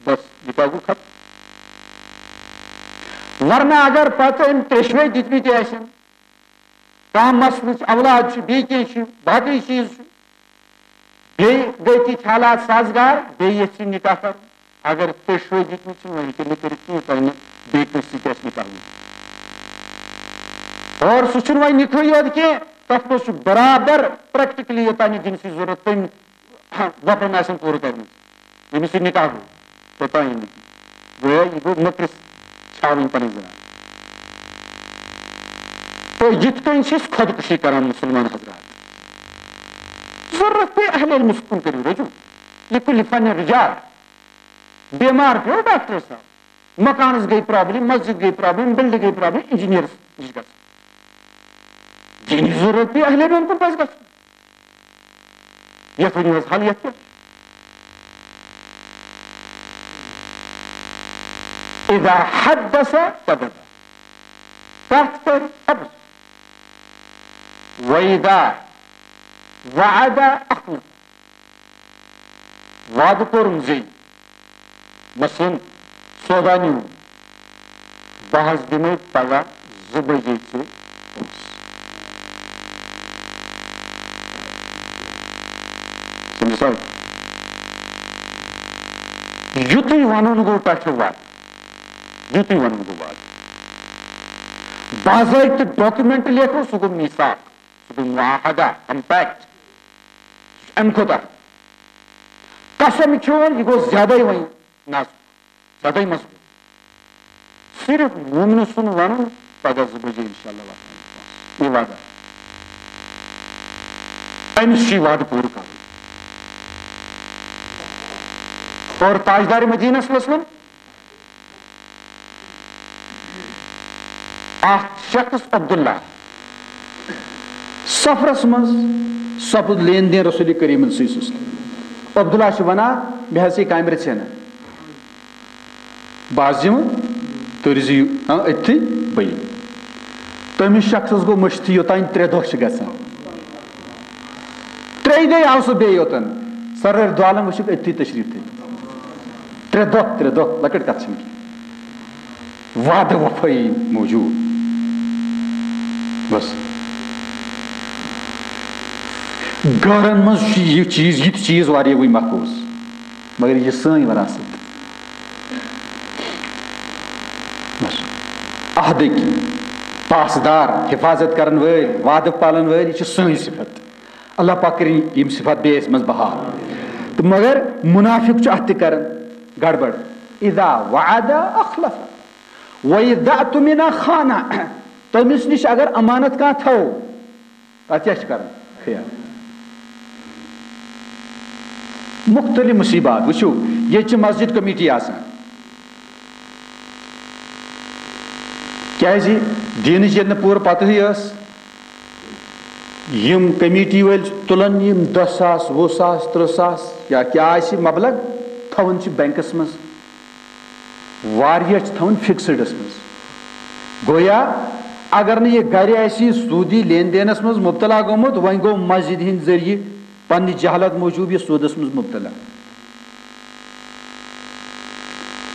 بس، نکاح گوٚو ختم۔ ورنہ اگر پتہٕ أمۍ ترٛیٚشوَے دِتمٕتۍ آسن، کانٛہہ مسلہٕ چھُ، اولاد چھُ، بیٚیہِ کینٛہہ چھُ، باقٕے چیٖز چھُ، بیٚیہِ گٔے تِتھۍ حالات سازگار، بیٚیہِ یژھِ نکاح کرُن۔ اگر تُہۍ شٲدی تہِ چھِنہٕ وۄنۍ ہیٚکِو نہٕ کٔرِتھ کِہیٖنۍ، تۄہہِ نہٕ بیٚیہِ کٲنٛسہِ سۭتۍ آسہِ نکاح گوٚمُت۔ اور سُہ چھُنہٕ وۄنۍ نِکہٕے یوت کینٛہہ، تَتھ منٛز چھُ برابر پریکٹیکلی یوٚتام یہِ جنسی ضروٗرت تٔمۍ وۄپرن آسن پوٗرٕ کرمٕژ، ییٚمِس سۭتۍ نکاح گوٚو، توٚتام یہِ نہٕ کینٛہہ۔ گویا یہِ گوٚو مٔکرِس چھاوٕنۍ پنٕنۍ زنان۔ تہٕ یِتھ کٔنۍ چھِ أسۍ خۄدکُشی کران مُسلمان حضرات۔ ضروٗرت پیٚیہِ اہل علمس کُن کٔرِو رجوع۔ لکل فن رجال۔ بیمار پیٚو ڈاکٹر صاحب، مکانس گٔے پرابلم، مسجد گٔے پرابلم، بلڈنگ گٔے پرابلم، انجینئرس نِش گژھُن۔ دینی ضروٗرت پیٚیہِ اہل علمن کُن پزِ گژھُن۔ یتھ ؤنِو حظ حل، یتھ کیٛاہ چھُ؟ اذا حدث کذب، کتھ کرِ اپُز۔ واذا وعد اخلف، وعدٕ کوٚرُن زِ، مثلاً، سودا نیوٗ، بہٕ حظ دِمے پگاہ زٕ بجے ژےٚ پونٛسہٕ۔ سمجھ سا؟ یُتُے ونُن گوٚو پٮ۪ٹھٕ وعدٕ، یُتُے ونُن گوٚو وعدٕ۔ باضٲبطہٕ ڈاکومنٹ لیکھو، سُہ گوٚو میثاق، سُہ گوٚو معاہدہ، کمپیکٹ۔ امہِ کھۄتہٕ اکھ قسم کھیوٚن، یہِ گوٚو زیادَے وۄنۍ نازُک، زیادَے مضبوٗط۔ صرف مومنہٕ سُنٛد وَنُن، پگاہ زٕ بجے انشاءاللہ واتناوٕ بہٕ پونٛسہٕ۔ یہِ وعدٕ۔ أمِس چھُ یہِ وعدٕ پوٗرٕ کرُن۔ اور تاجدار مدینہ صلی اللہ علیہ وسلم، اکھ شخص عبداللہ سفرس منٛز سپُد لین دین رسول کریم صلی اللہ علیہ وسلم۔ عبداللہ چھُ ونان، مےٚ حظ چھِ کامہِ رژھِ ہنا۔ بہٕ حظ یِمہٕ، تُہۍ روٗزِو، ہاں، أتھی، بہٕ یِمہٕ۔ تٔمِس شخصس گوٚو مٔشتھٕے یوٚتام ترٛےٚ دۄہ چھِ گژھان۔ ترٛیٚیہِ دۄہہِ آو سُہ بیٚیہِ یوٚتن۔ سرٲرۍ دۄہ عالم وٕچھِکھ أتھی تشریٖف تھٲوِتھ۔ ترٛےٚ دۄہ، ترٛےٚ دۄہ، لۄکٕٹ کتھ چھَنہٕ کینٛہہ۔ وعدٕ وفٲیی موٗجوٗد۔ بس۔ گرن منٛز چھُ یہِ چیٖز، یہِ تہِ چیٖز واریاہٕے محفوٗظ، مگر یہِ سٲنۍ وراثت۔ بس۔ عہدٕکۍ پاسدار، حفاظت کرن وٲلۍ، وعدٕ پالن وٲلۍ، یہِ چھِ سٲنۍ صفت۔ اللہ پاک کٔرِنۍ یِم صفات بیٚیہِ اَسہِ منٛز بحال۔ تہٕ مگر منافق چھُ اَتھ تہِ کران گڑبڑ۔ اذا وعد اخلف، واذا اؤتمن خان۔ تٔمِس نِش اگر امانت کانٛہہ تھاوو، تَتھ کیٛاہ چھِ کران؟ خیانت۔ مُختٔلِف مُصیٖبات۔ وٕچھِو، ییٚتہِ چھِ مسجد کمیٹی آسان۔ کیٛازِ؟ دیٖنٕچ ییٚلہِ نہٕ پوٗرٕ پَتہٕے ٲس، یِم کمیٹی وٲلۍ تُلَن یِم دَہ ساس، وُہ ساس، تٕرٛہ ساس یا کیٛاہ آسہِ مبلغ، تھاوان چھِ بینکَس منٛز۔ واریاہ چھِ تھاوان فِکسٕڈَس منٛز۔ گویا اگر نہٕ یہِ گرِ آسہِ سوٗدی لین دینَس منٛز مُبتلا گوٚمُت، وۄنۍ گوٚو مسجد ہِنٛدۍ ذٔریعہٕ پننہِ جہالت موٗجوٗب یہِ سوٗدَس منٛز مُبتلا۔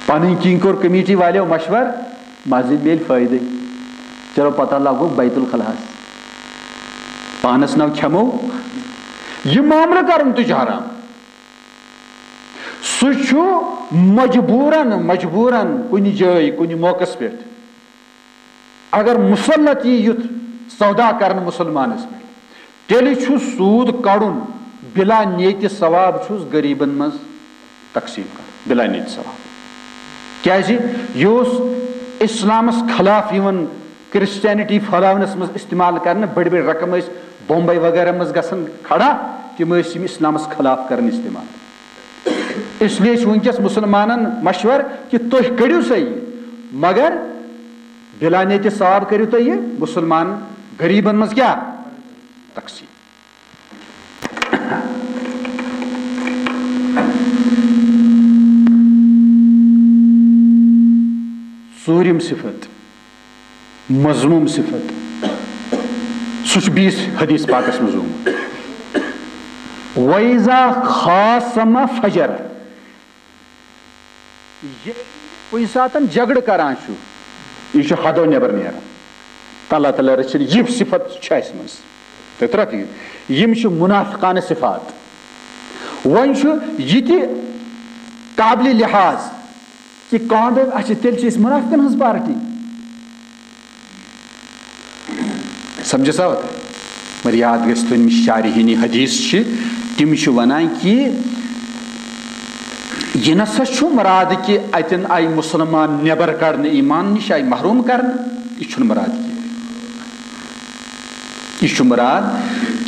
پنٕنۍ کِنۍ کوٚر کمیٹی والٮ۪و مشور، مسجد میلہِ فٲیدٕ۔ چلو پتہ لگوو بیت الخلاہَس۔ پانَس ناو کھٮ۪مو۔ یہِ معاملہٕ کرُن تہِ چھُ حرام۔ سُہ چھُ مجبوٗرن، مجبوٗرن کُنہِ جایہِ، کُنہِ موقعس پٮ۪ٹھ اگر مُسلط یی یُتھ سودا کرنہٕ مُسلمانس پٮ۪ٹھ، تیٚلہِ چھُ سوٗد کڑُن، بلا نیتِ ثواب چھُس غریٖبن منٛز تقسیٖم کرُن، بلا نیتِ ثواب۔ کیازِ؟ یہِ اوس اسلامس خلاف یِوان کرسچینٹی پھٔہلاونس منٛز استعمال کرنہٕ۔ بٔڑۍ بٔڑۍ رقم ٲسۍ بمبے وغیرہ منٛز گژھان کھڑا، تِم ٲسۍ یِم اسلامس خلاف کران استعمال۔ اس لیے چھُ وٕنکیٚس مُسلمانن مشور کہِ تُہۍ کٔڑِو سا یہِ، مگر بلا نیتِ ثواب کٔرِو تُہۍ یہِ مُسلمان غریبن منٛز کیٛاہ؟ تقسیم۔ ژوٗرِم صفت، مذموم صفت، سُہ چھُ بیٚیِس حدیث پاکس منٛز آمُت، "وَإِذَا خَاصَمَ فَجَرَ"۔ ییٚلہِ کُنہِ ساتن جھگڑٕ کران چھُ، یہِ چھُ حدو نٮ۪بر نیران۔ تہٕ اللہ تعالیٰ رٔچھِنۍ، یہِ صفت چھِ اَسہِ منٛز۔ تہٕ ترٛکھ یہِ، یِم چھِ منافقانہٕ صفات۔ وۄنۍ چھُ یہِ تہِ قابلِ لحاظ کہِ کانٛہہ دَپہِ، "اچھا، تیٚلہِ چھِ أسۍ منافقن ہٕنٛز پارٹی۔" سمجھس آو تۄہہِ؟ مگر یاد گژھِ تھاوُن، یِم شارحیٖنی حدیث چھِ، تِم چھِ وَنان کہِ یہِ نسا چھُ مُراد کہِ اَتٮ۪ن آیہِ مُسلمان نٮ۪بر کڑنہٕ، ایمان نِش آیہِ محروم کرنہٕ، یہِ چھُنہٕ مُراد کینٛہہ۔ یہِ چھُ مُراد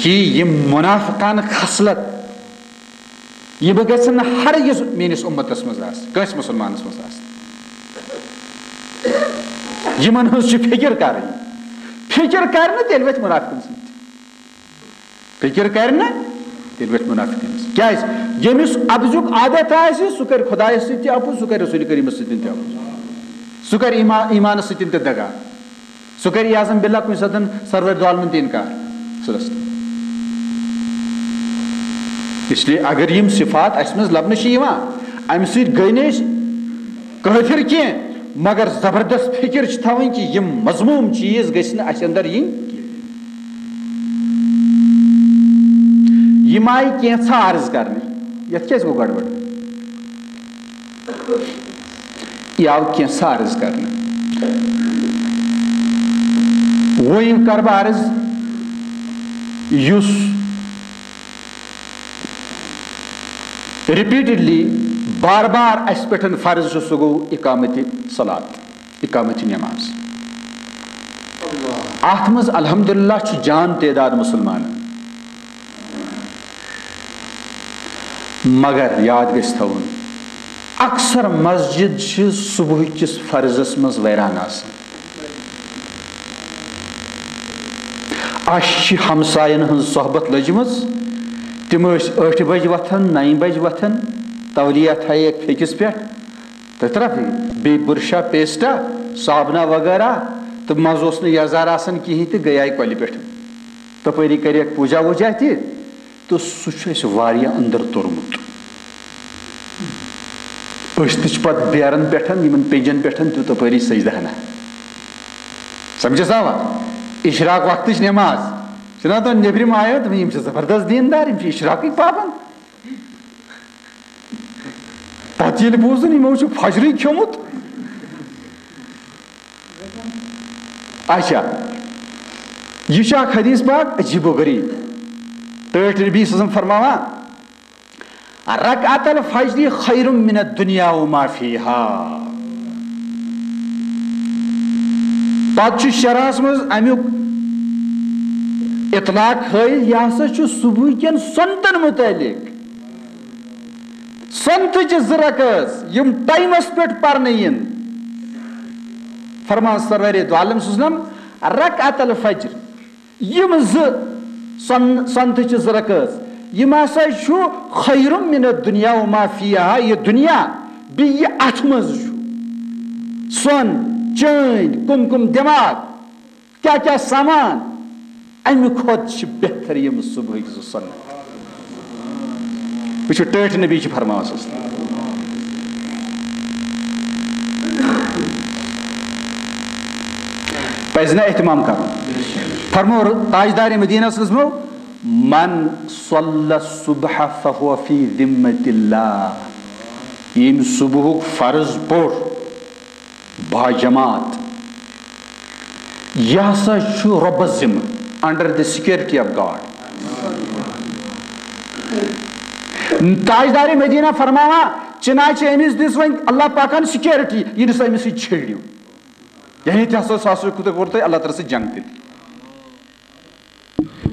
کہِ یِم مُنافقانہٕ خصلت، یِم گژھن نہٕ ہرگز میٲنِس اُمتس منٛز آسٕنۍ، کٲنٛسہِ مُسلمانس منٛز آسٕنۍ۔ یِمن ہٕنٛز چھِ فِکر کرٕنۍ۔ فِکر کرِ نہٕ، تیٚلہِ وۄتھِ مُنافِقن سۭتۍ۔ فِکر کرِ نہٕ، تیٚلہِ وۄتھِ مُنافِقن سۭتۍ۔ کیازِ؟ ییٚمِس اَپزُک عادت آسہِ، سُہ کرِ خۄدایس سۭتۍ تہِ اَپُز، سُہ کرِ رسول کریٖمس سۭتۍ تہِ اَپُز، سُہ کرِ ایمان، ایمانس سۭتۍ تہِ دغا۔ سُہ کرِ عیاذاً باللہ کُنہِ ساتن سرور دو عالمن تہِ انکار۔ سُہ رستہٕ۔ اس لیے اگر یِم صفات اسہِ منٛز لبنہٕ چھِ یِوان، امہِ سۭتۍ گٔے نہٕ أسۍ کٲفر کینٛہہ، مگر زبردست فکر چھِ تھاوٕنۍ کہِ یِم مذموم چیٖز گٔژھۍ نہٕ اسہِ اندر یِنۍ کینٛہہ۔ یِم آیہِ کینٛژھا عرض کرنہٕ، یتھ کیازِ گوٚو گڑبڑ؟ یہِ آو کینٛژھا عرض کرنہٕ۔ وۄنۍ کرٕ بہٕ عرض، یُس repeatedly، بار بار اسہِ پٮ۪ٹھ فرض چھُ، سُہ گوٚو اقامت صلات، اقامت نماز۔ اتھ منٛز الحمدللہ چھُ جان تعداد مُسلمانن۔ مگر یاد گژھِ تھاوُن، اکثر مسجد چھِ صبح کِس فرضس منٛز ویران آسان۔ اَسہِ چھِ ہمساین ہٕنٛز صحبت لٔجمٕژ، تِم ٲسۍ ٲٹھِ بجہِ وۄتھان، نَیہِ بجہِ وۄتھان، تولیہ تھایکھ پھیٚکِس پٮ۪ٹھ، تہٕ طرفٕے بیٚیہِ بُرشا، پیسٹا، صابنہ وغیرہ، تہٕ منٛزٕ اوس نہٕ یزار آسان کِہیٖنۍ تہٕ گٔیے کۄلہِ پٮ۪ٹھ۔ تپٲری کریکھ پوجا ووجا تہِ، تہٕ سُہ چھُ اَسہِ واریاہ أنٛدر توٚرمُت۔ أسۍ تہِ چھِ پتہٕ بیرن پٮ۪ٹھ، یِمن پینجن پٮ۪ٹھ تہِ تپٲری سجدٕ ہنا۔ سمجھس آوا؟ اشراق وقتٕچ نماز۔ چھِنہ تِم نیبرِم آیو، تِم، یِم چھِ زبردست دیندار، یِم چھِ اشراقٕکۍ پابند۔ پتہٕ ییٚلہِ بوٗزُن، یِمو چھُ فجرٕے کھیوٚمُت۔ اچھا، یہِ چھُ اکھ حدیث پاک عجیب و غریب۔ ٹٲٹھۍ نبی صلی اللہ علیہ وسلم فرماوان، "رکعت الفجر خیر من الدنیا وما فیہا۔" پتہٕ چھُ شرحس منٛز امیُک اطلاق ہٲیِتھ، یہِ ہسا چھُ صبحٕکٮ۪ن سنتن متعلق۔ سنتٕچہِ زٕ رکٲژ یِم ٹایمس پٮ۪ٹھ پرنہٕ یِن۔ فرمان سرورِ دو عالم صلی اللہ علیہ وسلم، رکعت الفجر، یِم زٕ سن-، سنتٕچہِ زٕ رکٲژ، یِم ہسا چھُ خیر من الدنیا وما فیہا، یہِ دُنیا بیٚیہِ یہِ اتھ منٛز چھُ۔ سۄن، چٲنۍ، کُم کُم دٮ۪ماغ، کیٛاہ کیٛاہ سامان، اَمہِ کھۄتہٕ چھِ بہتر یِم صبحٕکۍ زٕ سنت۔ وٕچھِو، ٹٲٹھۍ نبی چھِ فرماوان صلی اللہ علیہ وسلم۔ پَزِ نہ اہتمام کَرُن؟ فرمو تاجدار مدینہ صلی اللہ علیہ وسلم، "من صلی الصبح فهو فی ذمۃ اللہ"، ییٚمۍ صبحُک فرض پوٚر، باجماعت۔ یہِ ہسا چھُ رۄبس ذمہٕ، under the security of God۔ تاجدار مدینہ فرماوان، چنانچہ أمِس دِژ وۄنۍ اللہ پاکن سیکیورٹی، یہِ نہٕ سا أمِس سۭتۍ چھیڑِو۔ یعنی تہِ ہسا سُہ ہسا کوٚر تۄہہِ اللہ تعالیٰ سۭتۍ جنگ تیٚلہِ۔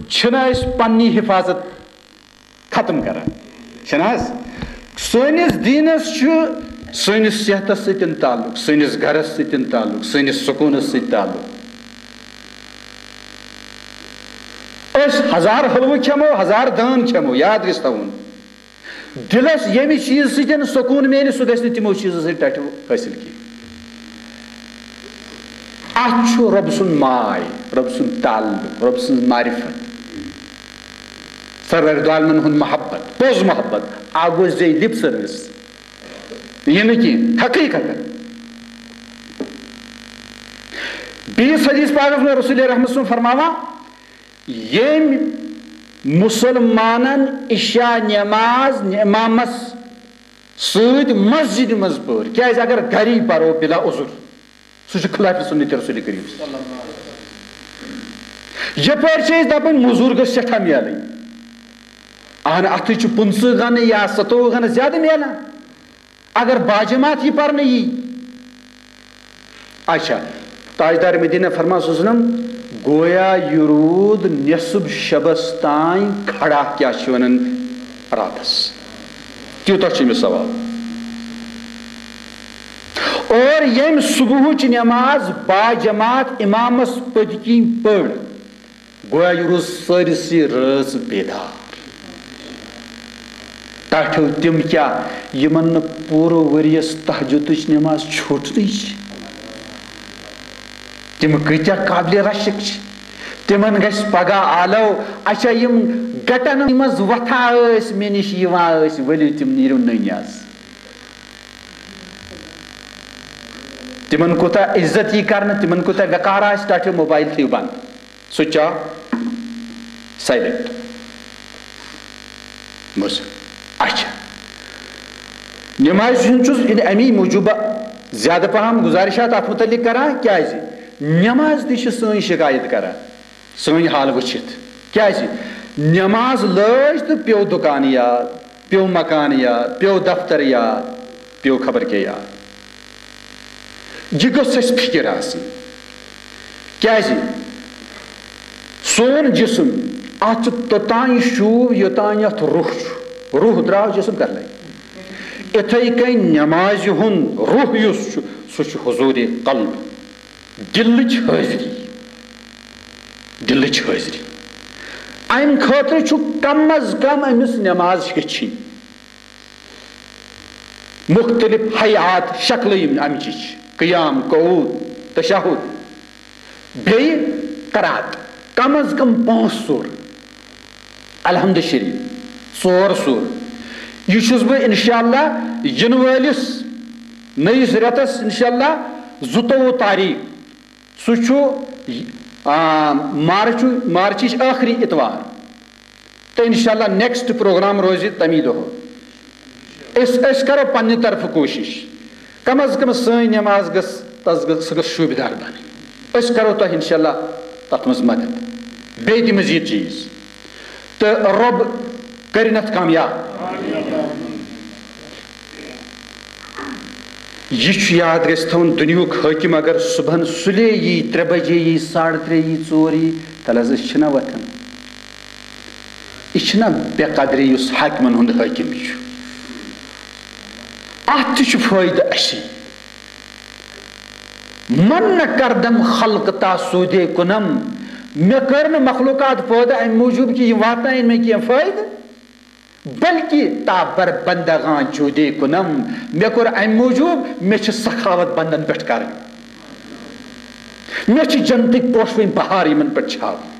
چھِنہٕ أسۍ پننی حفاظت ختم کران؟ چھِنہٕ حظ؟ سٲنِس دیٖنس چھُ سٲنِس صحتس سۭتۍ تعلق، سٲنِس گرس سۭتۍ تعلق، سٲنِس سکوٗنس سۭتۍ تعلق۔ أسۍ ہزار حلوٕ کھٮ۪مو، ہزار دٲن کھٮ۪مو، یاد گژھِ تھاوُن، دِلس ییٚمہِ چیٖزٕ سۭتۍ سکوٗن میلہِ، سُہ گژھِ نہٕ تِمو چیٖزو سۭتۍ ٹٹھِ حٲصِل کینٛہہ۔ اتھ چھُ رۄب سُنٛد ماے، رۄب سُنٛد تعلق، رۄب سٕنٛز معرفت، سرور دو عالمن ہُنٛد محبت، پوٚز محبت، اکھ گوٚو زے lip service، یہِ نہٕ کینٛہہ، حقیقتاً۔ بیٚیِس حدیث پاکس منٛز رسول رحمت سُنٛد فرماوان، ییٚمۍ مُسلمانن عشاء نماز امامس سۭتۍ مسجدِ منٛز پٔر، کیازِ اگر گری پرو بلا عذر، سُہ چھُ خلاف سنت رسول کریم۔ یپٲرۍ چھِ أسۍ دپان مٔزوٗر گٔژھ سٮ۪ٹھاہ میلٕنۍ، اہن اتھٕے چھُ پٕنٛژٕہ گنہٕ یا ستووُہ گنہٕ زیادٕ میلان، اگر باجماعت یہِ پرنہٕ یی۔ اچھا، تاجدار مدینہ فرمان صلی اللہ علیہ وسلم، گویا یہِ روٗد نصف شبس تام کھڑا، کیٛاہ چھِ ونان، راتس۔ تیوٗتاہ چھُ أمِس ثواب۔ اور ییٚمۍ صبحٕچ نماز با جماعت امامس پٔتۍ کِنۍ پٔر، گویا یہِ روٗز سٲرسٕے رٲژ بیدار۔ ٹاٹھیو تِم کیٛاہ، یِمن نہٕ پوٗرٕ ؤریَس تہجدٕچ نماز چھوٗٹنٕے چھِ؟ تِم کۭتیٛاہ قابلِ رشک چھِ؟ تِمن گژھِ پگاہ آلو، اچھا، یِم گٹن منٛز وۄتھان ٲسۍ، مےٚ نِش یِوان ٲسۍ، ؤلِو تِم نیٖرِو نٔنۍ آز۔ تِمن کوٗتاہ عزت یی کرنہٕ، تِمن کوٗتاہ وقار آسہِ، ٹاٹھیو موبایل تھٲیِو بنٛد۔ سُہ چاو سایلنٹ۔ بوز۔ اچھا، نمازِ ہُنٛد چھُس یہِ امی موٗجوٗب زیادٕ پہم گزارشات اتھ متعلق کران، کیازِ نماز تہِ چھِ سٲنۍ شکایت کران، سٲنۍ حال وٕچھِتھ۔ کیازِ نماز لٲج تہٕ پیوٚو دُکان یاد، پیوٚو مکان یاد، پیوٚو دفتر یاد، پیوٚو خبر کیٛاہ یاد۔ یہِ گٔژھ اَسہِ فِکِر آسٕنۍ۔ کیٛازِ؟ سون جسم، اَتھ چھُ توٚتام شوٗب، یوٚتام اَتھ روح چھُ۔ روح درٛاو، جسم کَر لَگہِ؟ اِتھَے کٔنۍ نٮ۪مازِ ہُنٛد روح یُس چھُ، سُہ چھُ حضوٗرِ قلب، دِلٕچ حٲضری۔ دِلٕچ حٲضری۔ اَمہِ خٲطرٕ چھُ کم از کم أمِس نٮ۪ماز ہیٚچھِنۍ۔ مُختٔلِف حیات، شکلہٕ یِم اَمچہِ چھِ، قیام، قعود، تشہد، بیٚیہِ قرات، کم از کم پانٛژھ سورٕ، الحمد شریف، ژور سورٕ۔ یہِ چھُس بہٕ انشاءاللہ یِنہٕ وٲلِس نٔیِس رٮ۪تس انشاءاللہ زٕتووُہ تاریخ، سُہ چھُ، آ، مارچُ-، مارچٕچ ٲخری اتوار۔ تہٕ انشاءاللہ نیکسٹ پروگرام روزِ تمی دۄہ۔ أسۍ، أسۍ کرو پننہِ طرفہٕ کوٗشش، کم از کم سٲنۍ نماز گٔژھ، تس گٔژھ، سۄ گٔژھ شوٗبہِ دار بنٕنۍ۔ أسۍ کرو تۄہہِ انشاءاللہ تتھ منٛز مدد۔ بیٚیہِ تہِ مزید چیٖز۔ تہٕ رۄب کٔرِنَتھ کامیاب۔ یہِ چھُ یاد گژھِ تھاوُن، دُنیہُک حٲکِم اگر صُبحن سُلے یی، ترٛےٚ بجے یی، ساڑٕ ترٛےٚ یی، ژور یی، تَلہٕ حظ أسۍ چھِنہ وۄتھان۔ یہِ چھِنہ بے قدری یُس حاکمن ہُنٛد حٲکِم چھُ۔ اَتھ تہِ چھُ فٲیدٕ اَسی۔ من نہ کردم خلق تا سودے کنم، مےٚ کٔر نہٕ مخلوقات پٲدٕ اَمہِ موٗجوٗب کہِ یِم واتناون مےٚ کینٛہہ فٲیدٕ، بلکہِ تا بر بندگان جودے کنم، مےٚ کوٚر اَمہِ موٗجوٗب، مےٚ چھِ سخاوت بندن پٮ۪ٹھ کرٕنۍ، مےٚ چھِ جنتٕکۍ پوشوٕنۍ بہار یِمن پٮ۪ٹھ چھاوٕنۍ۔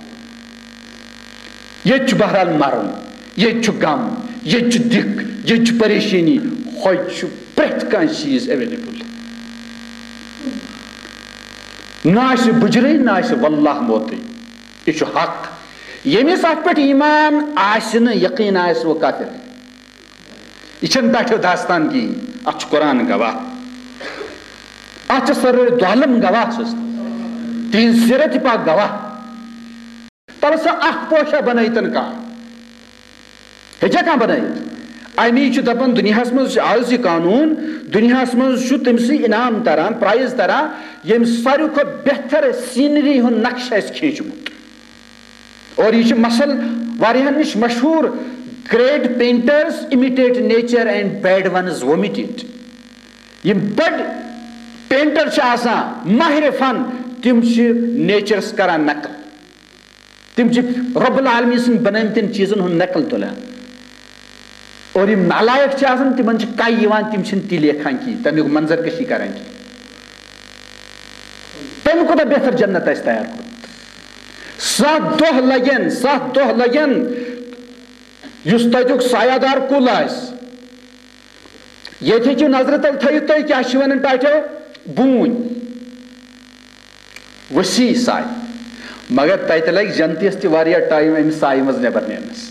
ییٚتہِ چھُ بہرحال مرُن، ییٚتہِ چھُ غم، ییٚتہِ چھُ دِکھ، ییٚتہِ چھُ پریشٲنی، ہوٚتہِ چھُ پرٛٮ۪تھ کانٛہہ چیٖز ایویلیبل۔ نہ آسہِ بُجرٕے، نہ آسہِ واللہ موتٕے۔ یہِ چھُ حق۔ ییٚمِس اَتھ پٮ۪ٹھ ایمان آسہِ نہٕ، یقیٖن آسہِ، وہ کافر۔ یہِ چھَنہٕ ٹاٹھیو داستان کِہیٖنۍ، اَتھ چھُ قرآن گواہ، اَتھ چھِ سرورِ دو عالم گواہ، چھُس تِہِنٛز سیرت پاک گواہ۔ تَلہٕ سا اَکھ پوشہ بَنٲیتَن کانٛہہ، ہیٚکیٛاہ کانٛہہ بَنٲیِتھ؟ اَمی چھُ دَپان دُنیاہَس منٛز چھُ آز یہِ قانوٗن، دُنیاہَس منٛز چھُ تٔمۍ سٕے انعام تَران، پرٛایِز تَران، ییٚمۍ ساروی کھۄتہٕ بہتر سیٖنری ہُنٛد نقشہٕ آسہِ کھینٛچمُت۔ اور یہِ چھُ مثل واریاہن نِش مشہوٗر، great painters imitate nature and bad ones vomit it۔ یِم بٔڑۍ پینٹر چھِ آسان، ماہر فن، تِم چھِ نیچرس کران نقل۔ تِم چھِ رب العالمین سٕنٛدۍ بنٲومٕتٮ۪ن چیٖزن ہُنٛد نقل تُلان۔ اور یِم نالایق چھِ آسان، تِمن چھِ کَے یِوان، تِم چھِنہٕ تہِ لیکھان کِہیٖنۍ، تَمیُک منظر کشی کران کِہیٖنۍ۔ تَمہِ کھۄتہٕ بہتر جنت آسہِ تیار کوٚرمُت۔ ستھ دۄہ لگن، ستھ دۄہ لگن، یُس تَتیُک سایہ دار کُل آسہِ، ییٚتہِ ہیٚکِو نظرِ تل تھٲیِتھ تُہۍ، کیٛاہ چھِ وَنان ٹاٹھیو؟ بوٗنۍ۔ وسیع سایہِ۔ مگر تَتہِ لگہِ جنتیَس تہِ واریاہ ٹایم اَمہِ سایہِ منٛز نٮ۪بر نیرنَس۔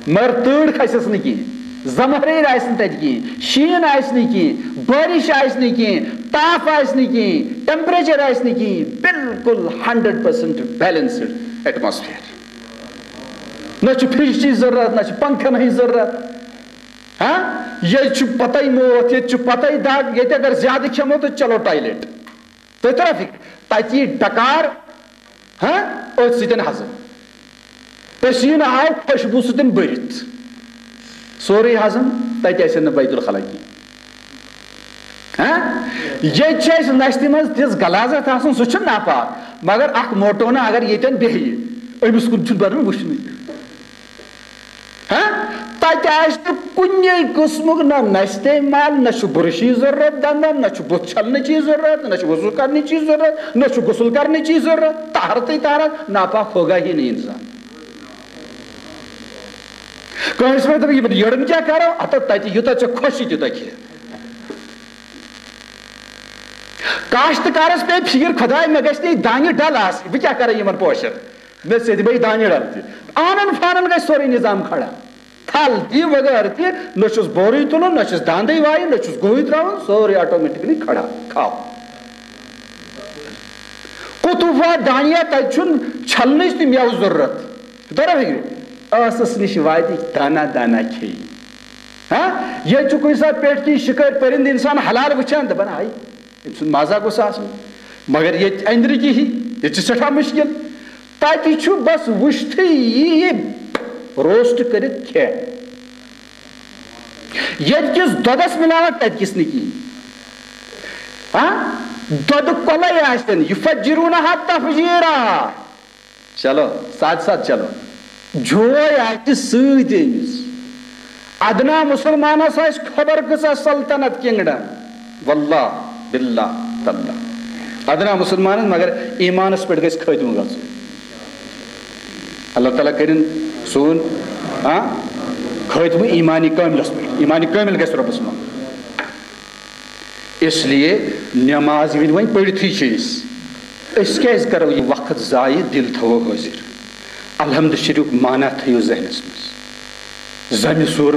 مگر تۭر کھسٮ۪س نہٕ کِہیٖنۍ، زمہریر آسہِ نہٕ تَتہِ کِہیٖنۍ، شیٖن آسہِ نہٕ کِہیٖنۍ، بٲرِش آسہِ نہٕ کِہیٖنۍ، تاپھ آسہِ نہٕ کِہیٖنۍ، ٹیمپریچر آسہِ نہٕ کِہیٖنۍ، بالکل ہنڈریڈ پرسنٹ بیلنسڈ ایٹماسفیئر۔ نہ چھُ فرجچی ضروٗرت، نہ چھُ پنکھن ہٕنٛز ضروٗرت۔ ہاں، ییٚتہِ چھُ پتے موت، ییٚتہِ چھُ پتے دگ، ییٚتہِ اگر زیادٕ کھٮ۪مو تہٕ چلو ٹوائلٹ۔ تُہۍ ترا فکر، تتہِ یی ڈکار، ہاں، أتھۍ سۭتۍ ہضم۔ پسیٖنہٕ آو خوشبو سۭتۍ بٔرِتھ، سورُے ہضم، تتہِ آسن نہٕ بیت الخلا کینٛہہ۔ ہاں؟ ییٚتہِ چھِ اَسہِ نستہِ منٛز تِژھ غلاظت آسان، سُہ چھُ ناپاک، مگر اکھ موٹو نہٕ اگر ییٚتٮ۪ن بیٚہہِ، أمِس کُن چھُنہٕ بنان وٕچھنُے۔ ہاں؟ تَتہِ آسہِ نہٕ کُنے قٕسمُک نہ نستہِ مل، نہ چھُ برشی ضروٗرت دندن، نہ چھُ بُتھ چھلنٕچی ضروٗرت، نہ چھُ وضو کرنٕچی ضروٗرت، نہ چھُ غسل کرنٕچی ضروٗرت۔ طہارتٕے طہارت، ناپاک ہوگا ہی نہیں انسان۔ کٲنٛسہِ وَنہِ دَپہِ، "یِمن یٔڑن کیٛاہ کرو؟ ہتا تَتہِ یوٗتاہ ژےٚ خۄش یی تیوٗتاہ کھےٚ۔" کاشتکارس پیٚیہِ فِکر، "خۄداے، مےٚ گژھِ نہٕ یہِ دانہِ ڈل آسٕنۍ، بہٕ کیٛاہ کرٕ یِمن پوشن؟" مےٚ سۭتۍ بیٚیہِ دانہِ ڈل تہِ۔ آنن فانن گژھِ سورُے نظام کھڑا۔ تھل تہِ وغٲر تہِ، نہ چھُس بورٕے تُلُن، نہ چھُس داندٕے وایُن، نہ چھُس گُہٕے ترٛاوُن، سورُے آٹومیٹکلی کھڑا۔ کھاو۔ قطوفہ دانیہ، تَتہِ چھُنہٕ چھلنٕچ تہِ مٮ۪وٕ ضروٗرت۔ ترا فِکرِ؟ ٲسَس نِش واتہِ دانا دانا کھیٚیہِ۔ ہاں؟ ییٚتہِ چھُ کُنہِ ساتہٕ پٮ۪ٹھ کِنۍ شِکٲرۍ پٔرِنٛدٕ اِنسان حلال وٕچھان، دَپان، "ہاے، أمۍ سُنٛد مَزا گوٚژھ آسُن۔" مگر ییٚتہِ أنٛدرٕ کِہی، ییٚتہِ چھُ سٮ۪ٹھاہ مُشکِل۔ تَتہِ چھُ بَس وٕچھتھٕے یی یہِ روسٹ کٔرِتھ کھٮ۪تھ۔ ییٚتہِ کِس دۄدَس مِلاوَٹھ، تَتہِ کِس نہٕ کِہیٖنۍ۔ ہاں؟ دۄدٕ کۄلَے آسن، یُفَجِّرُونَہا تَفجیٖرا۔ چلو، ساتھ ساتھ چلو۔ جوے آسہِ سۭتۍ أمِس۔ ادنا مسلمانس آسہِ خبر کۭژاہ سلطنت، کنگڈم۔ واللہ، باللہ، تاللہ۔ ادنا مسلمانس، مگر ایمانس پٮ۪ٹھ گژھِ خٲتمہٕ گژھُن۔ اللہ تعالیٰ کٔرِن سون، ہاں، خٲتمہٕ ایمانی کٲملس پٮ۪ٹھ۔ ایمانی کٲمل گژھِ رۄبس منٛز۔ اس لیے نماز ییٚلہِ وۄنۍ پٔرِتھٕے چھِ أسۍ، أسۍ کیٛازِ کرو یہِ وقت ضایع؟ دِل تھاوو حٲضِر۔ الحمد شریفُک معنی تھٲیِو ذہنس منٛز۔ ضمہِ سُر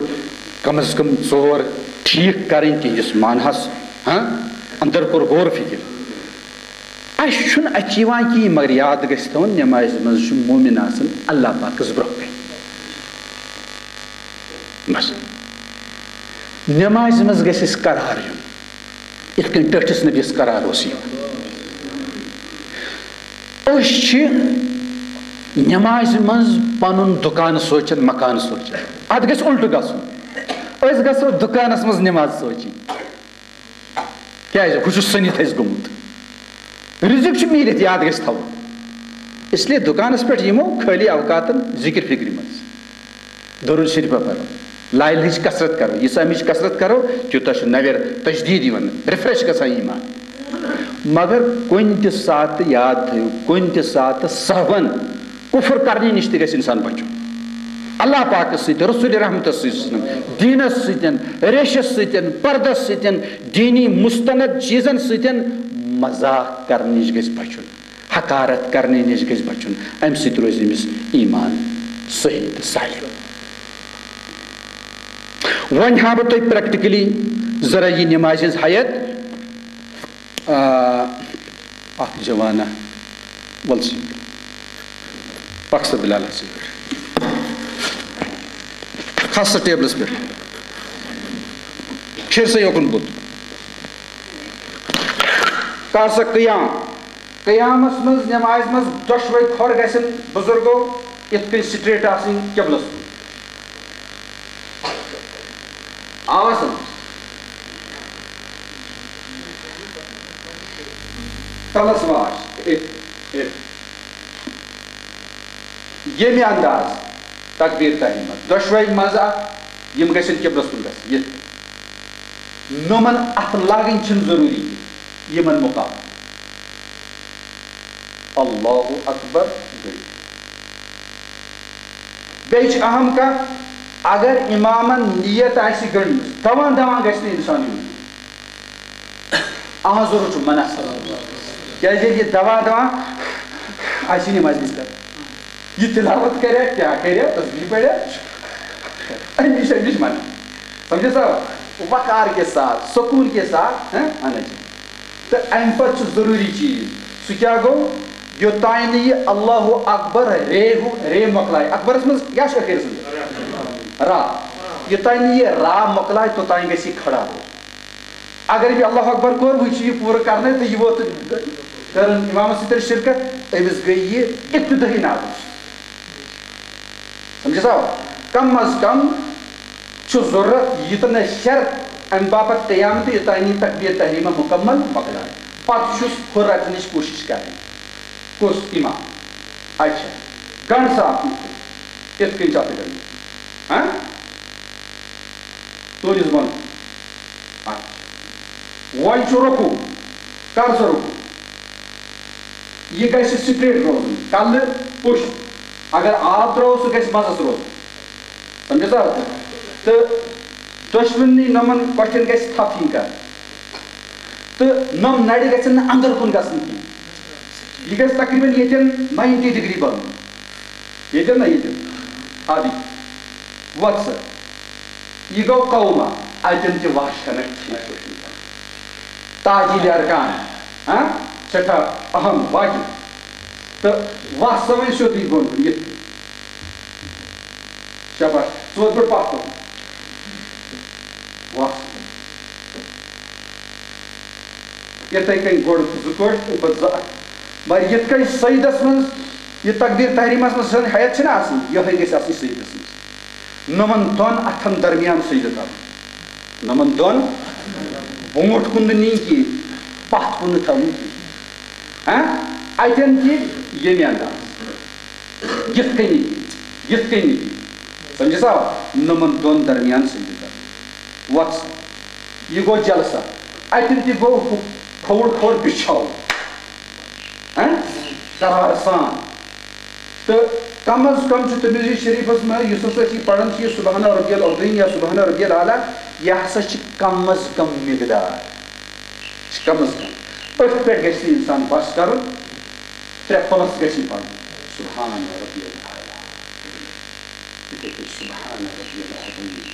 کم از کم ژور ٹھیٖک کرٕنۍ تِہنٛدِس معنہس، ہاں، اندر کوٚر غور فکر۔ اَسہِ چھُنہٕ اَتھِ یِوان کِہیٖنۍ، مگر یاد گژھِ تھاوُن، نمازِ منٛز چھُ مومِن آسان اللہ پاکَس برٛونٛہہ کَنہِ۔ بس۔ نمازِ منٛز گژھِ اَسہِ قرار یُن، یِتھ کٔنۍ ٹٲٹھِس نبیَس قرار اوس یِوان۔ أسۍ چھِ نمازِ منٛز پَنُن دُکان سونٛچان، مکان سونٛچان۔ اَتھ گژھِ اُلٹہٕ گژھُن۔ أسۍ گژھو دُکانَس منٛز نماز سونٛچٕنۍ۔ کیازِ؟ ہُہ چھُ سٔنِتھ اَسہِ گوٚمُت۔ رِزِق چھُ میٖلِتھ، یاد گژھِ تھاوُن۔ اس لیے دُکانَس پٮ۪ٹھ یِمو خٲلی اوقاتَن ذِکِر فِکرِ منٛز۔ درود شریف پَرو، لا الہ ہٕچ کثرت کرو، ییٖژاہ اَمِچ کثرت کرو، تیوٗتاہ چھُ نَوٮ۪ر تجدیٖد یِوان، refresh گژھان ایٖمان۔ مگر کُنہِ تہِ ساتہٕ یاد تھٲیِو، کُنہِ تہِ ساتہٕ سہون کفر کرنہٕ نِش تہِ گژھِ انسان بچُن۔ اللہ پاکس سۭتۍ، رسول رحمتس سۭتۍ، دیٖنس سۭتۍ، ریشس سۭتۍ، پردس سۭتۍ، دیٖنی مستند چیٖزن سۭتۍ مذاق کرنہٕ نِش گژھِ بچُن، حقارت کرنہٕ نِش گژھِ بچُن۔ امہِ سۭتۍ روزِ أمِس ایمان صحیح تہٕ سالم۔ وۄنۍ ہاوٕ بہٕ تۄہہِ practically ذرا یہِ نمازِ ہٕنٛز حیت۔ آ، اکھ جوانا، ول سی۔ پکھ سا بلال، سی۔ کھس سا ٹیبلس پٮ۪ٹھ۔ پھر سا یوکُن بُتھ۔ کر سا قیام۔ قیامس منٛز، نمازِ منٛز دۄشوے کھۄر گژھن بزرگو یِتھ کٔنۍ straight آسٕنۍ قبلس کُن۔ آوا سمجھ؟ تلس واش۔ A, A. ییٚمہِ انداز تکبیر تحریمہ دۄشوے منٛز اکھ، یِم گژھن قبلس کُن گژھٕنۍ، یِتھ کٔنۍ۔ نومن اتھٕ لاگٕنۍ چھِنہٕ ضروٗری کینٛہہ، یِمن مُقابلہٕ۔ اللہ اکبر گٔے۔ بیٚیہِ چھِ اہم کتھ، اگر امامن نیت آسہِ گٔنڈمٕژ، دوان دوان گژھِ نہٕ انسان یُن۔ اہن ضرور چھُ منع۔ کیازِ ییٚلہِ یہِ دوا دوا آسہِ نہٕ مسجد پٮ۪ٹھ، یہِ تلاوت کرِ، کیٛاہ کرِ، تسبیح پرِ، اَمہِ نِش، اَمہِ نِش منع۔ سمجھے سا؟ وقار کے ساتھ، سکون کے ساتھ، ہاں، آنا چاہیے۔ تہٕ اَمہِ پتہٕ چھُ ضروٗری چیٖز، سُہ کیٛاہ گوٚو؟ یوٚتام نہٕ یہِ اللہ اکبر رے ہُہ، رے مۄکلایہِ۔ اکبرس منٛز کیٛاہ چھُ ٲخرس منٛز؟ را۔ یوٚتام نہٕ یہِ را مۄکلایہِ، توٚتام گژھِ یہِ کھڑا روزُن۔ اگر أمۍ اللہ اکبر کوٚر، وۄنۍ چھُ یہِ پوٗرٕ کرنَے تہٕ یہِ ووت، کٔرٕن اِمامَس سۭتۍ شرکت، أمِس گٔے یہِ ابتدٲیی ناقص۔ سمجھِ سا؟ کم از کم چھُ ضروٗرت یہِ تہٕ نہ شرط اَمہِ باپتھ قیام تہٕ یوٚتام یہِ تکبیر تحریمہ مکمل مۄکلایہِ۔ پتہٕ چھُس ہُہ رٹنٕچ کوٗشِش کرٕنۍ۔ کُس اِمام؟ اچھا، گنڈ صاحب، یِتھ کٔنۍ چھِ اَتھ گنڈ۔ ہاں؟ تُلِس بۄن۔ اچھا۔ وۄنۍ چھُ رکوع۔ کر سا رکوع۔ یہِ گژھِ straight روزُن، کلہٕ پُشت۔ اگر آب ترٛاوو، سُہ گژھِ مزس روزُن۔ سمجھِ سا؟ تہٕ دۄشوٕنی نۄمن کۄٹھٮ۪ن گژھِ تھپھ یِنۍ کرنہٕ۔ تہٕ نۄم نرِ گژھن نہٕ اندر کُن گژھٕنۍ کینٛہہ۔ یہِ گژھِ تقریباً ییٚتٮ۪ن ninety degree بنُن۔ ییٚتٮ۪ن نہ ییٚتٮ۪ن۔ ادٕ وۄتھ سا۔ یہِ گوٚو قوما۔ اتٮ۪ن تہِ وَس چھنہٕ ٹھیٖک پٲٹھۍ۔ تعجیل ارکان۔ ہاں؟ سٮ۪ٹھاہ اہم واجب۔ تہٕ وَس سا وۄنۍ سیوٚدُے بۄن کُن، یِتھ کٔنۍ۔ شاباش۔ ژٕ ووت گۄڈٕ پتھ کُن۔ وَس۔ یِتھَے کٔنۍ گۄڈٕ زٕ کٲٹھۍ، تَمہِ پتہٕ زٕ اَتھٕ۔ مگر یِتھ کٔنۍ سجدس منٛز یہِ تکبیر تحریمس منٛز سٲنۍ ہیئت چھِنہ آسان، یِہوٚے گژھِ آسٕنۍ سجدس منٛز۔ نۄمن دۄن اَتھن درمیان سجدٕ کرُن۔ نۄمن دۄن برونٛٹھ کُن نہٕ نِنۍ کِہیٖنۍ، پتھ کُن نہٕ تھاوٕنۍ کِہیٖنۍ۔ ہاں؟ اَتٮ۪ن تہِ ییٚمہِ انداز۔ یِتھ کٔنی، یِتھ کٔنی۔ سمجھِ سا؟ نۄمن دۄن درمیان سجدٕ کرُن۔ وۄتھ سا۔ یہِ گوٚو جلسہ۔ اَتٮ۪ن تہِ گوٚو ہُہ کھووُر کھووُر بِچھاوُن۔ ہاں؟ قرار سان۔ تہٕ کم از کم چھُ ترمذی شریفس منٛز، یُس ہسا أسۍ یہِ پران چھِ، یہِ سبحان ربی العظیم یا سبحان ربی الاعلیٰ، یہِ ہسا چھِ کم از کم مقدار۔ چھِ کم از کم۔ أتھۍ پٮ۪ٹھ گژھِ نہٕ انسان بس کرُن۔ ترٛےٚ پلس گژھِ یہِ پرُن۔ سبحان ربی الاعلیٰ۔ یِتھَے پٲٹھۍ سبحان ربی العظیم۔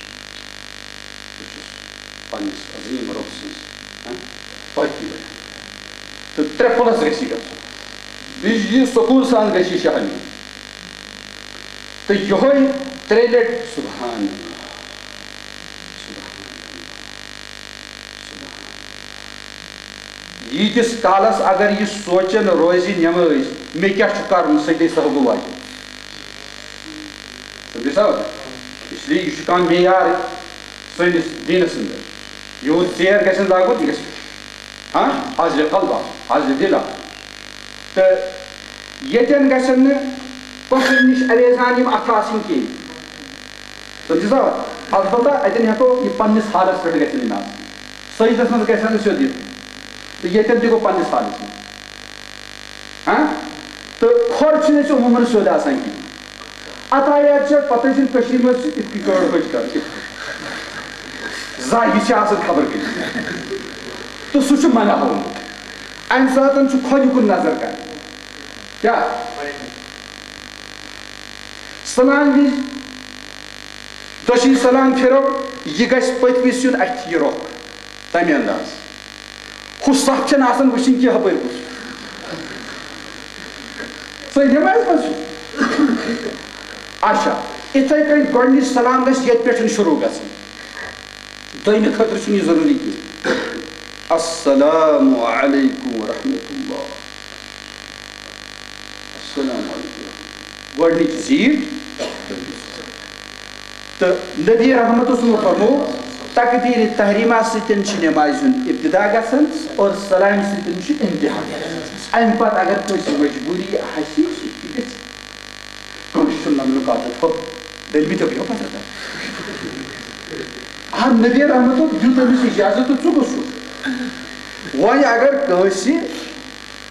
بہٕ چھُس پننِس عظیم رۄب سٕنٛز، ہاں، پاکی بیان۔ تہٕ ترٛےٚ پلس گژھِ یہِ گژھُن۔ بیٚیہِ یہِ سکوٗن سان گژھِ یہِ شاہ نیُن۔ تہٕ یِہوٚے ترٛیٚیہِ لٹہِ سبحان اللہ، سبحان اللہ، سبحان اللہ۔ ییٖتِس کالس اگر یہِ سونٛچان روزِ نٮ۪مٲزۍ، مےٚ کیٛاہ چھُ کرُن، سجدے سہو گوٚو واجب۔ سمجھِ سا؟ اس لیے یہِ چھُ کانٛہہ معیار سٲنِس دیٖنس اندر۔ یوٗت ژیر گژھِ نہٕ لاگُن، یہِ گژھِ، ہاں، حاضرِ قلب آسُن، حاضرِ دل آسُن۔ تہٕ ییٚتٮ۪ن گژھن نہٕ کۄٹھٮ۪ن نِش اویزان یِم اَتھٕ آسٕنۍ کِہیٖنۍ۔ سمجھِ سا؟ البتہ اَتٮ۪ن ہٮ۪کو یہِ پننِس حالس پٮ۪ٹھ گژھن یِم آسٕنۍ۔ سجدس منٛز گژھن نہٕ سیوٚد یِتھ۔ تہٕ ییٚتٮ۪ن تہِ گوٚو پننِس حالس منٛز۔ ہاں؟ تہٕ کھۄر چھُنہٕ اَسہِ عموٗماً سیوٚد آسان کِہیٖنۍ۔ عطایات چھِ پتہٕ ٲسۍ یِم کٔشیٖرِ منٛز چھِ یِتھ کٔنۍ کٲڑ بٔچ کران، یِتھ کٔنۍ۔ زاہہِ چھِ آسان خبر کٔمِس۔ تہٕ سُہ چھُ منع ہومُت۔ اَمہِ ساتہٕ چھُ کھۄنہِ کُن نظر کرٕنۍ۔ کیٛاہ؟ سلام وِزِ دٔچھِنۍ سلام پھِرو، یہِ گژھِ پٔتمِس یُن اَتھِ یہِ رۄخ۔ تَمہِ انداز۔ ہُہ صف چھَنہٕ آسان وٕچھِنۍ کینٛہہ ہُپٲرۍ کُس۔ سٲنۍ نٮ۪مازِ منٛز چھُ۔ اچھا، یِتھَے کٔنۍ گۄڈٕنِچ سلام گژھِ ییٚتہِ پٮ۪ٹھ شروٗع گژھٕنۍ۔ دوٚیمہِ خٲطرٕ چھُنہٕ یہِ ضروٗری کینٛہہ۔ السلام علیکم ورحمۃ اللہ۔ السلام علیکم۔ گۄڈٕنِچ زیٖٹھ۔ تہٕ نبی رحمت اوس یِمو فرموو، تکبیر تحریمہ سۭتۍ چھُ نمازِ ہُنٛد ابتدا گژھان اور سلامہِ سۭتۍ چھُ انتہا گژھان۔ اَمہِ پتہٕ اگر کٲنٛسہِ مجبوٗری آسہِ، سُہ تہِ گژھِ۔ کٲنٛسہِ دٔلمٕتۍ بیٚہو پتہٕ۔ آ، نبی رحمتو دیُت أمِس اجازت تہٕ ژٕ گوٚژھ یُن۔ وۄنۍ اگر کٲنٛسہِ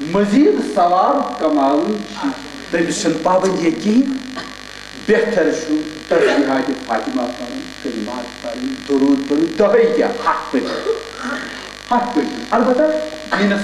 مزید ثواب کماوٕنۍ چھِ، تٔمِس چھَنہٕ پابندی کِہیٖنۍ۔ بہتر چھُ تسبیحات فاطمہ پرُن، کلمات پرٕنۍ، درود پرُن، دۄہے کیٛاہ، ہتھ پٔرِتھ۔ ہتھ پٔرِتھ۔ البتہ دینس